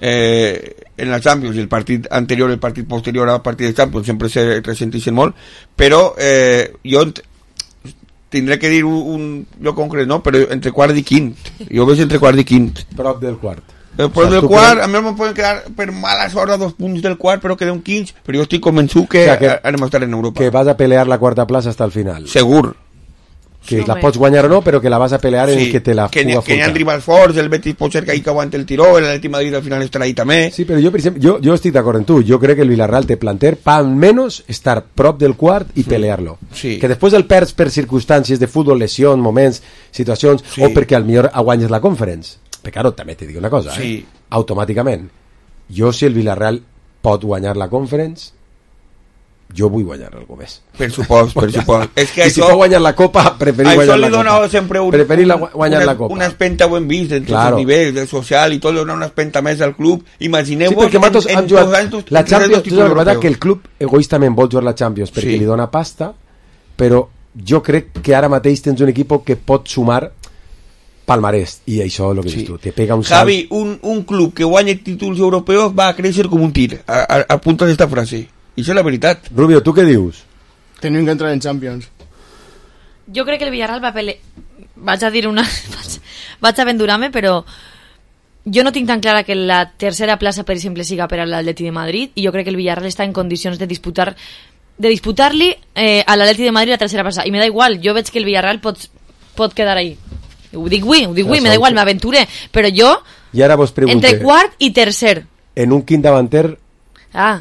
eh, en la Champions, i el partit anterior, el partit posterior al partit de Champions sempre se ressenteixen molt, però eh, jo tindré que dir un, un lloc concret, no? Però entre quart i quint, jo veig entre quart i quint, prop del quart. El prop o sea, del quart, a mi me poden quedar per mala sort a dos punts del quart, però queda un quinze, però jo estic convençut que, o sea, que anem a estar en Europa, que vas a pelear la quarta plaça hasta el final, segur. Que sí, la pots guanyar o no, però que la vas a pelear sí, en que te la que puga que hi ha rivals forts, el Betis pot ser que ahí que aguante el tiró, el Atleti Madrid al final estarà ahí també. Sí, però jo, per exemple, jo, jo estic d'acord en tu, jo crec que el Villarreal té planter per almenys estar prop del quart i sí, pelear-lo. Sí. Que després el perds per circumstàncies de futbol, lesió, moments, situacions, sí, o perquè al millor guanyes la Conference. Però claro, també te dic una cosa, sí, eh? Automàticament, jo si el Villarreal pot guanyar la Conference, jo vull guanyar algú més. Per supost, per supost. És que I això, si pot guanyar la Copa, preferir guanyar la Copa. Sempre un, preferir la, guanyar una, la Copa. Una espenta ho hem vist en tots claro, els nivells, del social i tot, donar una espenta més al club. Imagineu-vos sí, en, en, en jugat, dos anys la Champions, tu saps que el club egoistament vol jugar la Champions perquè sí, li dona pasta, però jo crec que ara mateix tens un equip que pot sumar palmarès, i això és el que sí, dius tu, te pega un salt. Javi, un, un club que guanya títols europeus va a créixer com un tir, a, a, a punta d'esta frase. I això és la veritat. Rubio, tu què dius? Tenim que entrar en Champions. Jo crec que el Villarreal va pelear, vaig a dir una... vaig, vaig a aventurar-me, però jo no tinc tan clara que la tercera plaça, per exemple, siga per a l'Atleti de Madrid, i jo crec que el Villarreal està en condicions de disputar de disputar-li eh, a l'Atleti de Madrid la tercera plaça, i me da igual, jo veig que el Villarreal pot, pot quedar ahí. Ho dic avui, ho dic avui, me da igual, m'aventuré, però jo, I ara vos pregunte, entre quart i tercer. En un quint davanter Ah.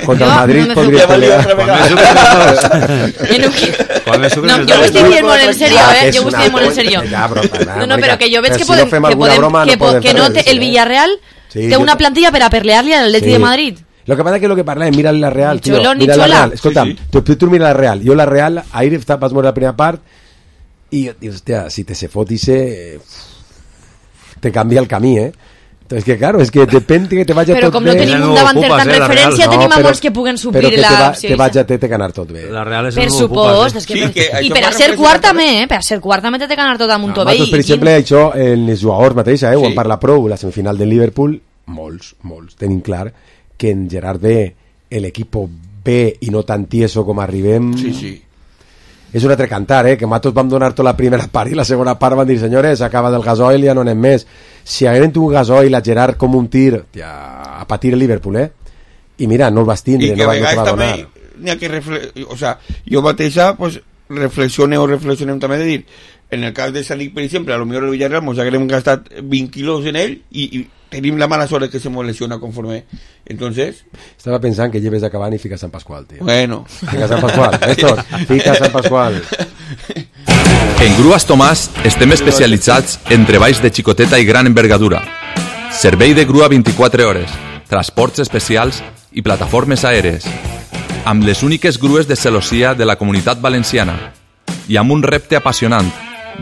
contra el Madrid no podria pelear. En un quint... No, jo ho estic dient molt en serio, eh? Jo ho estic dient molt en serio. No, no, però que jo veig que podem... Que, podem, que, po, que no té, el Villarreal Sí, té una jo- plantilla per a pelear-li al Atleti Sí. de Madrid. Lo que pasa es que lo que parla, mira la Real, Ni tío, xoló, ni mira la xola. Real. Escolta, Sí, sí. Tu, tu, tu mira la Real. Yo la Real, ahir está, vas a morir la primera part y, y hostia, si te se fotise, te cambia el camí, ¿eh? Entonces, que claro, es que depende que te vaya Però tot com no bé. tenim un davanter tan referència, tenim a molts que puguen però suplir que la... te, va, opció te aquesta. vaya te, te ganar tot bé. La Real és Per el supost, és que Sí, per... que i això per a fa ser referència quart també. també, eh? Per a ser quart també té que anar tot amunt tot bé. Nosaltres, per i- exemple, això, els jugadors mateix, eh, ho Sí. en parla prou, la semifinal del Liverpool, molts, molts, tenim clar que en Gerard B, l'equip B i no tan tieso com arribem... Sí, sí. És un altre cantar, eh? Que nosaltres vam donar tota la primera part i la segona part van dir, senyores, acaba del gasoil i ja no anem més. Si hagueren tingut gasoil a Gerard com un tir, tia, a patir el Liverpool, eh? I mira, no el vas tindre, I que no, a va, no te vegades va també donar. n'hi ha que refle... o sea, jo mateixa pues, reflexione o reflexionem també de dir, en el cas de Sadik, per exemple, a lo millor el Villarreal mos haguem gastat vint quilos en ell i, i tenim la mala sort que se mos lesiona conforme. Entonces... Estava pensant que lleves a Cavani i fica Sant Pasqual, tio. Bueno. Fica Sant Pasqual, Néstor, fica Sant Pasqual. En Grues Tomàs estem especialitzats en treballs de xicoteta i gran envergadura. Servei de grua vint-i-quatre hores, transports especials i plataformes aèries. Amb les úniques grues de celossia de la Comunitat Valenciana. I amb un repte apassionant,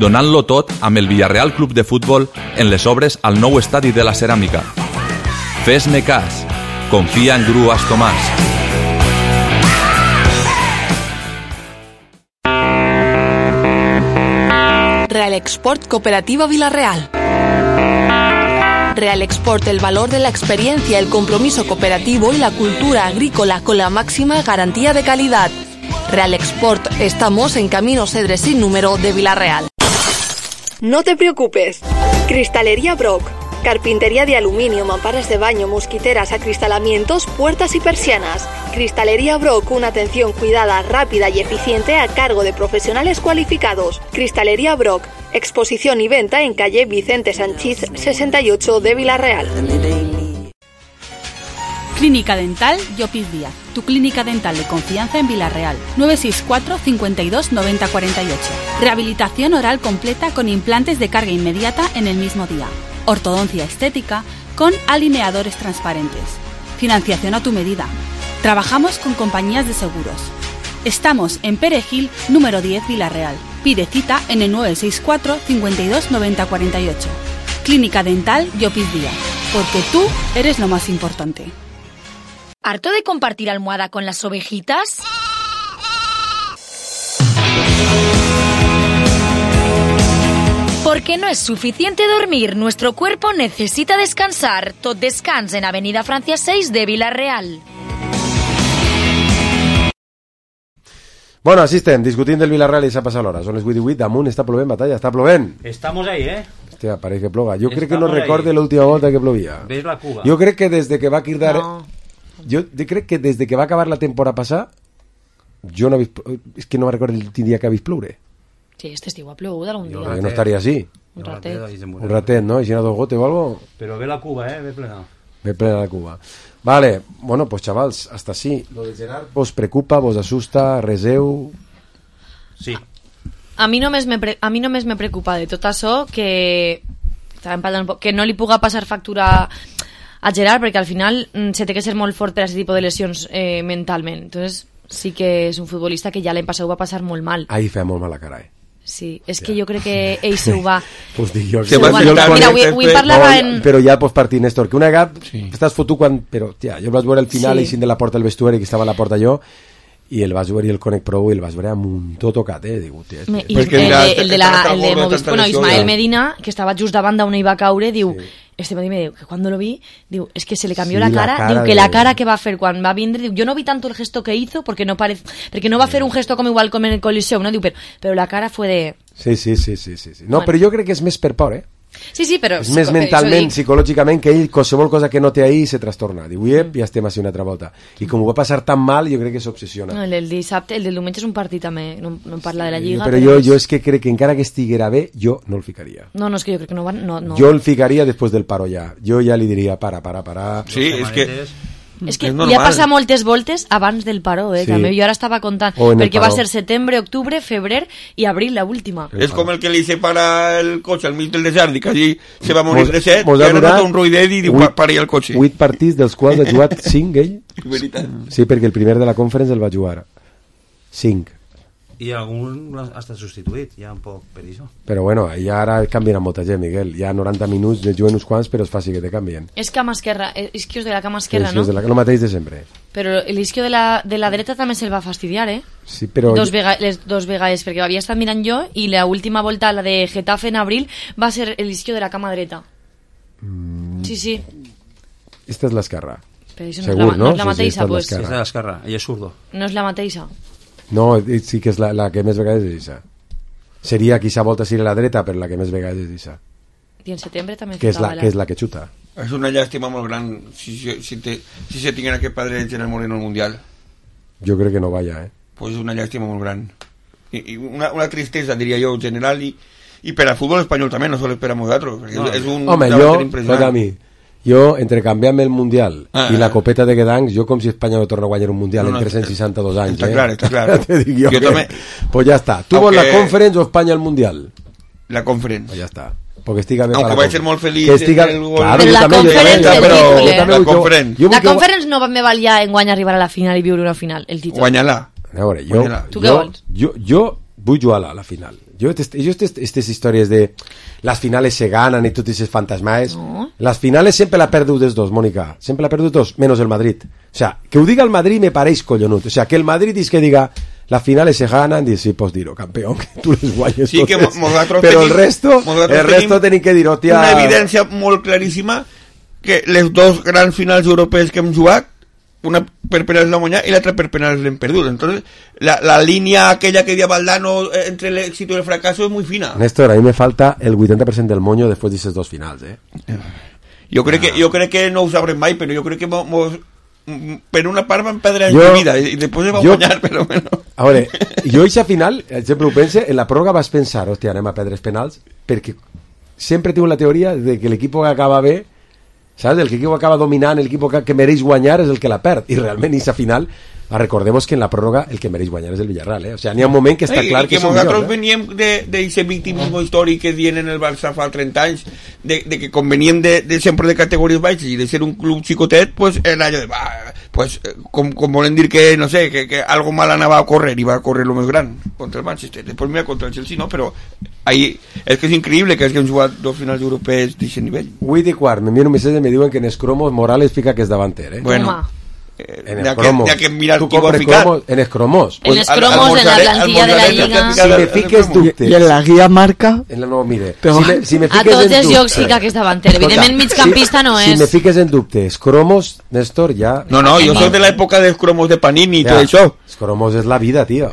donant-lo tot amb el Villarreal Club de Futbol en les obres al nou estadi de la Ceràmica. Fes-me cas. Confia en Grues Tomàs. Real Export Cooperativa Villarreal. Real Export, el valor de la experiencia, el compromiso cooperativo y la cultura agrícola con la máxima garantía de calidad. Real Export, estamos en Camino Cedres sin número de Villarreal. No te preocupes. Cristalería Brock. Carpintería de aluminio, mamparas de baño, mosquiteras, acristalamientos, puertas y persianas. Cristalería Brock, una atención cuidada, rápida y eficiente a cargo de profesionales cualificados. Cristalería Brock, exposición y venta en calle Vicente Sanchís sesenta y ocho de Villarreal. Clínica Dental Llopis Díaz, tu clínica dental de confianza en Villarreal. nueve seis cuatro, cincuenta y dos, noventa, cuarenta y ocho. Rehabilitación oral completa con implantes de carga inmediata en el mismo día. Ortodoncia estética con alineadores transparentes. Financiación a tu medida. Trabajamos con compañías de seguros. Estamos en Perejil, número diez, Villarreal. Pide cita en el nueve seis cuatro, cincuenta y dos, noventa, cuarenta y ocho. Clínica Dental Llopis Díaz, porque tú eres lo más importante. ¿Harto de compartir almohada con las ovejitas? Porque no es suficiente dormir, nuestro cuerpo necesita descansar. Tot descans en Avenida Francia seis de Villarreal. Bueno, així estem, discutint del Villarreal i s'ha passat l'hora. Són les vuit i vuit, damunt està plovent, batalla, està plovent. Estamos ahí, ¿eh? Hòstia, pareix que ploga. Jo crec que no Estamos recorde ahí. l'última volta que plovia. Ves la Cuba. Jo crec que des de que va cridar... No. Jo crec que des de que va acabar la temporada passada, jo no he vist... És que no me recordo l'últim dia que ha vist ploure. Sí, este estiu ha plogut algun Jo dia. crec que no estaria així. Un ratet. Un ratet, ¿no? Y si no dos gote o algo... Pero ve la Cuba, ¿eh? Ve plena. Ve plena la Cuba. Vale, bueno, pues chavals, hasta así. Lo de Gerard vos preocupa, vos asusta, reseu... Sí. A mi només me, pre a mi només me preocupa de tot això que, que no li puga passar factura a Gerard, perquè al final mm, se té que ser molt fort per a aquest tipus de lesions eh, mentalment. Entonces sí que és un futbolista que ja l'any passat ho va passar molt mal. Ahí feia molt mala cara, eh? Sí, és que jo crec que ell se ho va... Pues dic jo, Se ho va... Mira, avui, avui parlava en... Però ja pots partir, Néstor, que una gap sí. Estàs fotut quan... Però, tia, jo el vaig veure al final sí. Eixint de la porta del vestuari, que estava a la porta jo, i el vas veure i el Conec Pro i el vas veure amb un tot tocat, eh? Digo, tia, I el, el, de, el de, la, el de Movistar, bueno, Ismael Medina, que estava just davant d'on hi va caure, diu, sí. este matí me diu que cuando lo vi, diu, es que se le cambió Sí, la la cara, cara diu que de- la cara que va a hacer cuando va a vindre, diu, yo no vi tanto el gesto que hizo porque no parece, porque no va a hacer un gesto como igual como en el Coliseum, no? Diu, pero, pero la cara fue de... Sí, sí, sí, sí, sí, sí. No, Bueno. però jo crec que és més per por, eh? Sí, sí, però... És més psico- mentalment, això dic. psicològicament, que ell, qualsevol cosa que no té ahir, se trastorna. Diu, iep, ja estem així una altra volta. I com ho va passar tan mal, jo crec que s'obsessiona. No, el del dissabte, el del diumenge és un partit també, no, no em parla de la Lliga, Però jo, jo és que crec que encara que estiguera bé, jo no el ficaria. No, no, és que jo crec que no van... No, no. Jo el ficaria després del paro ja. Jo ja li diria, para, para, para. Sí, és que... És que És ja normal. passa moltes voltes abans del paró, eh? Sí. També jo ara estava contant, O en el perquè va paró. ser setembre, octubre, febrer i abril, la última. És com el que li separa el cotxe al mig del desert i que allí se va morir Mos- de set mos i ha ara durat nota un roïdet i diu, vuit- para el cotxe. Vuit partits dels quals ha jugat cinc ell. Veritat. Sí, perquè el primer de la conference el va jugar. Cinc. I algun ha estat substituït, ja un poc per això. Però bueno, ja ara canvien a molta gent, Miguel. Ja noranta minuts, ne juguen uns quants, però és fàcil que te canvien. És cama esquerra, eh, isquios de la cama esquerra, Sí, no? és de la, lo mateix de sempre. Però l'isquio de la, de la dreta també se'l va fastidiar, eh? Sí, però... Dos, vega, les dos vegades, perquè havia estat mirant jo i la última volta, la de Getafe en abril, va ser l'isquio de la cama dreta. Mm, Sí, sí. esta és l'esquerra. Però això no és Segur, la- no és la Sí, mateixa, esta és pues. l'esquerra. És de l'esquerra, ell és zurdo. No és la mateixa. No, eh, sí que és la, la que més vegades és aquesta. Seria, quizá volta ser la dreta, però la que més vegades és aquesta. I en setembre també Que és la, ficava que és la que xuta. És una llàstima molt gran si, si, si, te, si se tinguin aquest padre en el Moreno al Mundial. Jo crec que no vaya, eh? Pues és una llàstima molt gran. I, i una, una tristesa, diria jo, general, i, i per al futbol espanyol també, no sols per a nosaltres. Perquè No. és un Home, davanter jo, impressionant. escolta a mi, jo, entre canviar-me el Mundial Ah, i la ah. copeta de Gdansk, jo com si Espanya no torna a guanyar un Mundial No, no, en tres-cents seixanta-dos anys, està eh? clar, està clar. Te dic jo, Jo que... també. Pues ja està. Tu vols Aunque- la Conference o Espanya el Mundial? La Conference. Pues ja està. Porque estiga bé Aunque para vaig la ser molt feliç que estiga... en el gol. Claro, Però jo la també, jo Conference també, el però títol, jo eh? també La vull- jo- Conference. jo vull La que- Conference no me val ja en guanyar arribar a la final i viure una final, el títol. Guanya-la. A veure, jo, Guanya-la. Tu què jo, vols? jo, jo vull jugar a la final. Jo aquestes històries de las finales se ganan y totes esas fantasmas, No. las finales siempre la perdu des dos, Mónica, sempre la perdu dos, menos el Madrid. O sea, que ho diga el Madrid me pareix collonut. O sea, que el Madrid és que diga las finales se ganan, dius, sí, pots dir-ho, campeón, que tu les guanyes Sí que totes. nosaltres Però el tenim- resto, nosaltres el resto tenim que dir, hòstia... Una evidència molt claríssima que les dos grans finals europees que hem jugat, una per penals l'hem guanyat i l'altra per penals l'hem perdut. Entonces, la, la línia aquella que havia Valdano eh, entre l'éxito i el fracaso és muy fina. Néstor, a mi me falta el vuitanta per cent del moño després d'aquestes dos finals, eh? Jo crec, que, jo crec que no ho sabrem mai, però jo crec que mo, mos, mm, per una part vam perdre en Jo- la vida i després vam jo- guanyar, però bueno. A veure, jo eixa final, sempre ho pense, en la pròrroga vas pensar, hòstia, anem a perdre els penals, perquè sempre tinc la teoria de que l'equip que acaba bé, saps? El que equip acaba dominant, el equip que, que mereix guanyar és el que la perd, i realment eixa final, recordemos que en la pròrroga el que mereix guanyar és el Villarreal, eh? O sigui, n'hi ha un moment que està I, clar i que, que són nosaltres millors, eh? veníem d'aquest victimisme històric que dient en el Barça fa trenta anys, de, de que com veníem de, de sempre de categories baixes i de ser un club xicotet, pues era allò de, va, pues, eh, com, com volen dir que, no sé, que, que algo mal anava a córrer i va a córrer lo més gran contra el Manchester, després mira contra el Chelsea, no? Però ahí, és que és increïble que hagin jugat dos finals europees d'aquest nivell. vuit i quart, m'envien un missatge i me diuen que en els cromos Morales fica que és davanter, eh? Bueno, en n'hi ha el que- cromos. n'hi ha que mirar Tu qui ho ha compres ficat. cromos en els cromos. En els cromos, en la plantilla de la Lliga. Si me fiques dubtes... I en la guia marca... En la, no, mire, Però- si me, si me A fiques tots en els dubte- jocs sí que aquest davanter. Escolta, Evidentment, migcampista no si és. me fiques en dubtes, cromos, Néstor, ja... No, no, jo soc de l'època dels cromos de Panini i tot això. Els cromos és la vida, tio.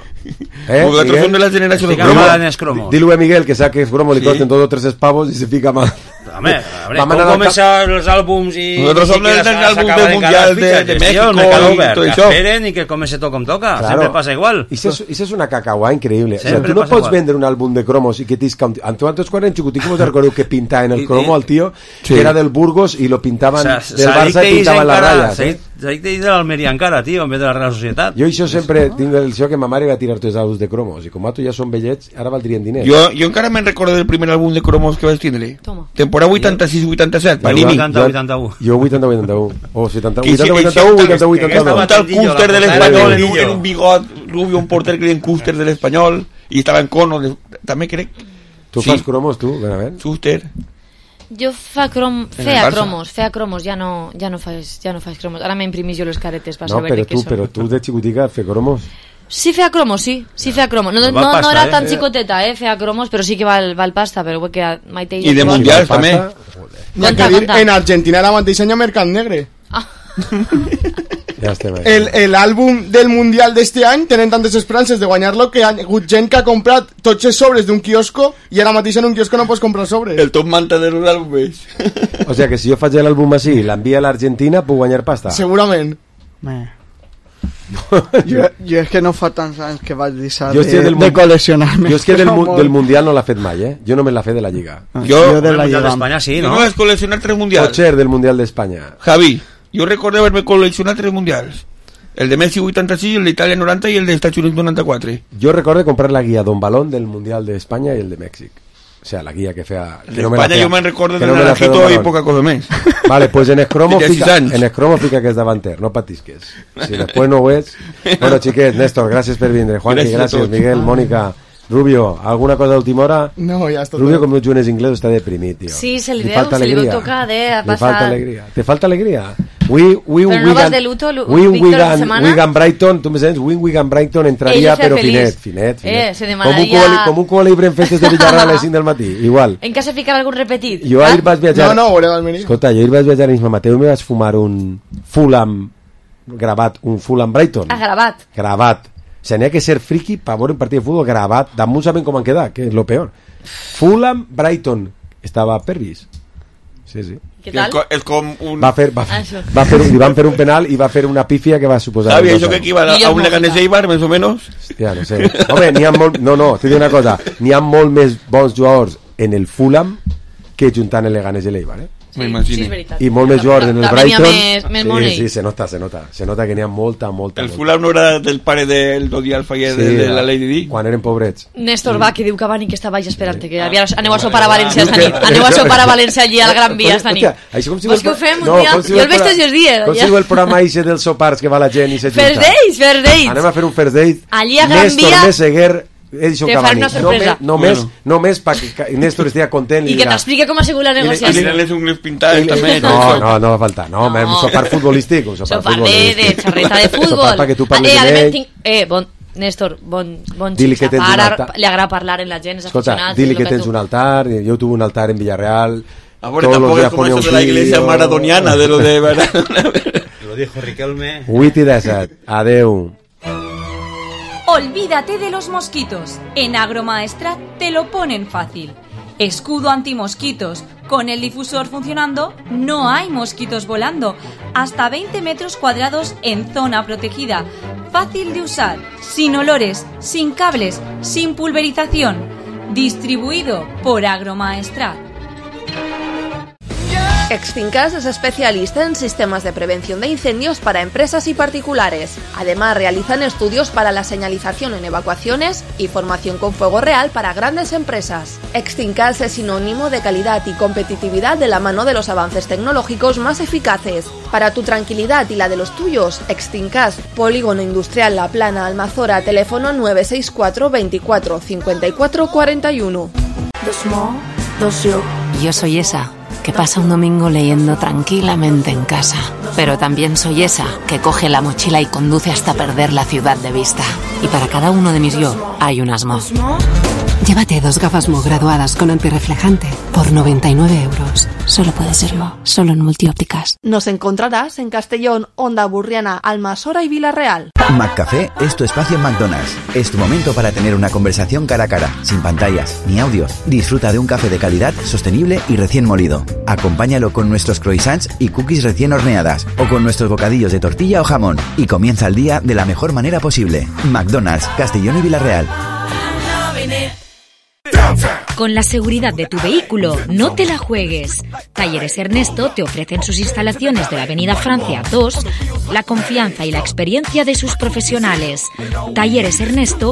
Eh, Vosaltres Miguel? són de la generació de Estic cromos. mal en els cromos. Dilo a Miguel que sabe que es cromo, le Sí. costen dos o tres pavos y se fica mal. Home, a veure, Vam com anar al començar els àlbums i... Nosaltres i som que dels s'acaba àlbums de del Mundial cada de- fitxa, de sí, México el mercado i obert, tot que això. esperen i que comenci tot com toca. Sempre passa igual. I això és, és una cacauà increïble. O sea, Sempre tu no passa pots igual. vendre un àlbum de cromos i que tisca un... Antes quan eren xicoticos vos recordeu que pintava en el I- cromo al tío, Sí. que era del Burgos i lo pintaven O sea, del Barça i pintaven les ratlles. Eh? S'ha dit de l'Almeria encara, tio, en vez de la Real Societat. Jo això sempre tinc el això que ma mare va tirar tots els àlbums de cromos i com a tu ja són vellets, ara valdrien diners. Jo, jo encara me'n recordo del primer àlbum de cromos que vaig tindre. Toma. Temporada vuitanta-sis vuitanta-set, Jo- Panini. vuitanta, vuitanta-u. Jo vuitanta vuitanta-u. O setanta, Que vuitanta, ese- vuitanta-u, ese- vuitanta, que vuitanta-dos. estaba tal Custer del la Espanyol, portada en del un, en un bigot rubio, un porter que deien Custer del Espanyol, i estava en cono, de, també crec. Tu Sí. fas cromos, tu? Ben a veure. Custer. Jo fa crom... En el feia Barça. cromos, feia cromos, ja no, ja no fas, ja no fas cromos. Ara m'imprimís jo les caretes per No, saber però què tu, són. però tu de xicotica fer cromos. Sí feia cromos, sí, sí feia cromos. No, no, no, pasta, no era eh? tan xicoteta, eh, feia cromos, però sí que val, val pasta, però que Maite... I de mundials també. N'hi ha que dir, en Argentina ara mateix hi ha mercat negre. Ja estem ahí. El, el àlbum del Mundial d'este any tenen tantes esperances de guanyar-lo que hi ha hagut gent que ha comprat tots els sobres d'un quiosco i ara mateix en un quiosco no pots comprar sobres. El top manta de los àlbums. O sea que si jo faig l'àlbum així i l'envia a l'Argentina puc guanyar pasta. Segurament. Eh. jo, jo és que no fa tants anys que vaig deixar Jo de, estic del de mun- col·leccionar-me. Jo és que del, mu- Molt. del Mundial no l'ha fet mai, eh? Jo només l'ha fet de la Lliga. Jo, Jo de la Mundial Lliga. d'Espanya sí, no no? vas col·leccionar tres mundials. Potser del Mundial d'Espanya. Javi, yo recuerdo haberme coleccionado tres mundials. El de Messi vuitanta-sis, el de Italia noranta y el de Estados Unidos noranta-quatre. Jo recordo comprar la guia Don Balón del Mundial d'Espanya i el de Mèxic. O sea, la guia que feia... El que de no me la España feia- yo me recuerdo que de no me la feia Don Naranjito y Balón. poca cosa més. Vale, pues en Escromo Tenia fica, sis anys. en Escromo fica que és davanter, no patisques. Si després no ho és... Bueno, xiquets, Néstor, gràcies per vindre. Juanqui, Gràcies a gràcies, tots. Miguel, Mònica, Rubio, alguna cosa d'última hora? No, ja està Rubio, tot. com no jugues inglés, està deprimit, tio. Sí, se li Li veu, falta se li veu alegria. tocat, eh, ha Li falta passat. alegria. Te falta alegria? We, we, Però no vas de luto, lu- we, Víctor, Wigan, esta setmana? Wigan Brighton, tu me sents? Win Wigan Brighton entraria, Ell feia però feliç. finet, finet, finet. Eh, se com, un demanaria- cuboli, com un cubolibre en festes de Villarreal a les cinc del matí, igual. En cas de ficar algun repetit. Jo ahir vaig viatjar... No, no, veureu al menú. Escolta, jo ahir vaig viatjar a l'Isma Mateu i me vaig fumar un Fulham gravat, un Fulham Brighton. Ah, gravat. Gravat. O sea, n'hi ha que ser friki per veure un partit de futbol gravat. Damunt saben com han quedat, que és lo peor. Fulham Brighton. Estava per vist. Sí, sí. Què tal? És com un... Va fer, va, Ah, això. va fer, li van fer un penal i va fer una pífia que va suposar... Javi, dos ¿eso que anys. equivale a un Leganés Eibar, más o menos? Hòstia, no sé. Home, n'hi ha molt... No, no, t'he dit una cosa. N'hi ha molt més bons jugadors en el Fulham que juntant el Leganés i l'Eibar, eh? Me imagino. Sí, és veritat. I molt més jugadors en el També n'hi ha Brighton. més- més sí, money. sí, se nota, se nota. Se nota que n'hi ha molta, molta, El molta. Fulham no era del pare del Dodi Alfa i de, de la Lady Di. Quan eren pobrets. Néstor va, que diu que Cavani que està baix esperant que havia, aneu a sopar a València esta nit, aneu a sopar a València allí al Gran Via esta nit. Hòstia, això com si Vols que ho fem un dia? com si Jo el veig tots els dies, Com si ja. diu el programa aixe dels sopars que va la gent i se junta. First dates, first dates. Anem a fer un first date. Allí a Gran Néstor Via Meseguer, Edison te Cavani. faré una sorpresa. Només, només, Bueno. només perquè Ca- Néstor estigui content I que t'explique com ha sigut la I negociació. les ungles pintades també. No, no, no va faltar. No, no. un sopar futbolístic. Un sopar, Sopar de, futbolístic. de xarreta de Sopar futbol. perquè tu parles eh, amb además ell. tinc, eh, bon, Néstor, bon, bon Dili xic, que tens un para, altar. li agrada parlar amb la gent, és Escolta, aficionat. dili és que lo tens tu- un altar. Jo tuve un altar en Villarreal. A ver, todos los tampoco días es como ponía eso un de la iglesia vídeo. maradoniana, de lo de... Lo dijo Riquelme. vuit i disset. Adeu. Olvídate de los mosquitos. En Agromaestrat te lo ponen fácil. Escudo antimosquitos. Con el difusor funcionando, no hay mosquitos volando. Hasta veinte metros cuadrados en zona protegida. Fácil de usar, sin olores, sin cables, sin pulverización. Distribuido por Agromaestrat. Extincas es especialista en sistemas de prevención de incendios para empresas y particulares. Además, realizan estudios para la señalización en evacuaciones y formación con fuego real para grandes empresas. Extincas es sinónimo de calidad y competitividad de la mano de los avances tecnológicos más eficaces. Para tu tranquilidad y la de los tuyos, Extincas, Polígono Industrial La Plana, Almazora, teléfono nueve seis cuatro veinticuatro cincuenta y cuatro cuarenta y uno. Dos mo, dos yo. Yo soy esa que pasa un domingo leyendo tranquilamente en casa. Pero también soy esa que coge la mochila y conduce hasta perder la ciudad de vista. Y para cada uno de mis yo hay un asmo. Llévate dos gafas Mo graduadas con antirreflejante por noventa y nueve euros. Solo puede ser Mo, solo en Multiópticas. Nos encontrarás en Castellón, Onda Burriana, Almasora y Villarreal. McCafé es tu espacio en McDonald's. Es tu momento para tener una conversación cara a cara, sin pantallas ni audios. Disfruta de un café de calidad, sostenible y recién molido. Acompáñalo con nuestros croissants y cookies recién horneadas o con nuestros bocadillos de tortilla o jamón y comienza el día de la mejor manera posible. McDonald's, Castellón y Villarreal. Con la seguridad de tu vehículo, no te la juegues. Talleres Ernesto te ofrecen sus instalaciones de la Avenida Francia dos, la confianza y la experiencia de sus profesionales. Talleres Ernesto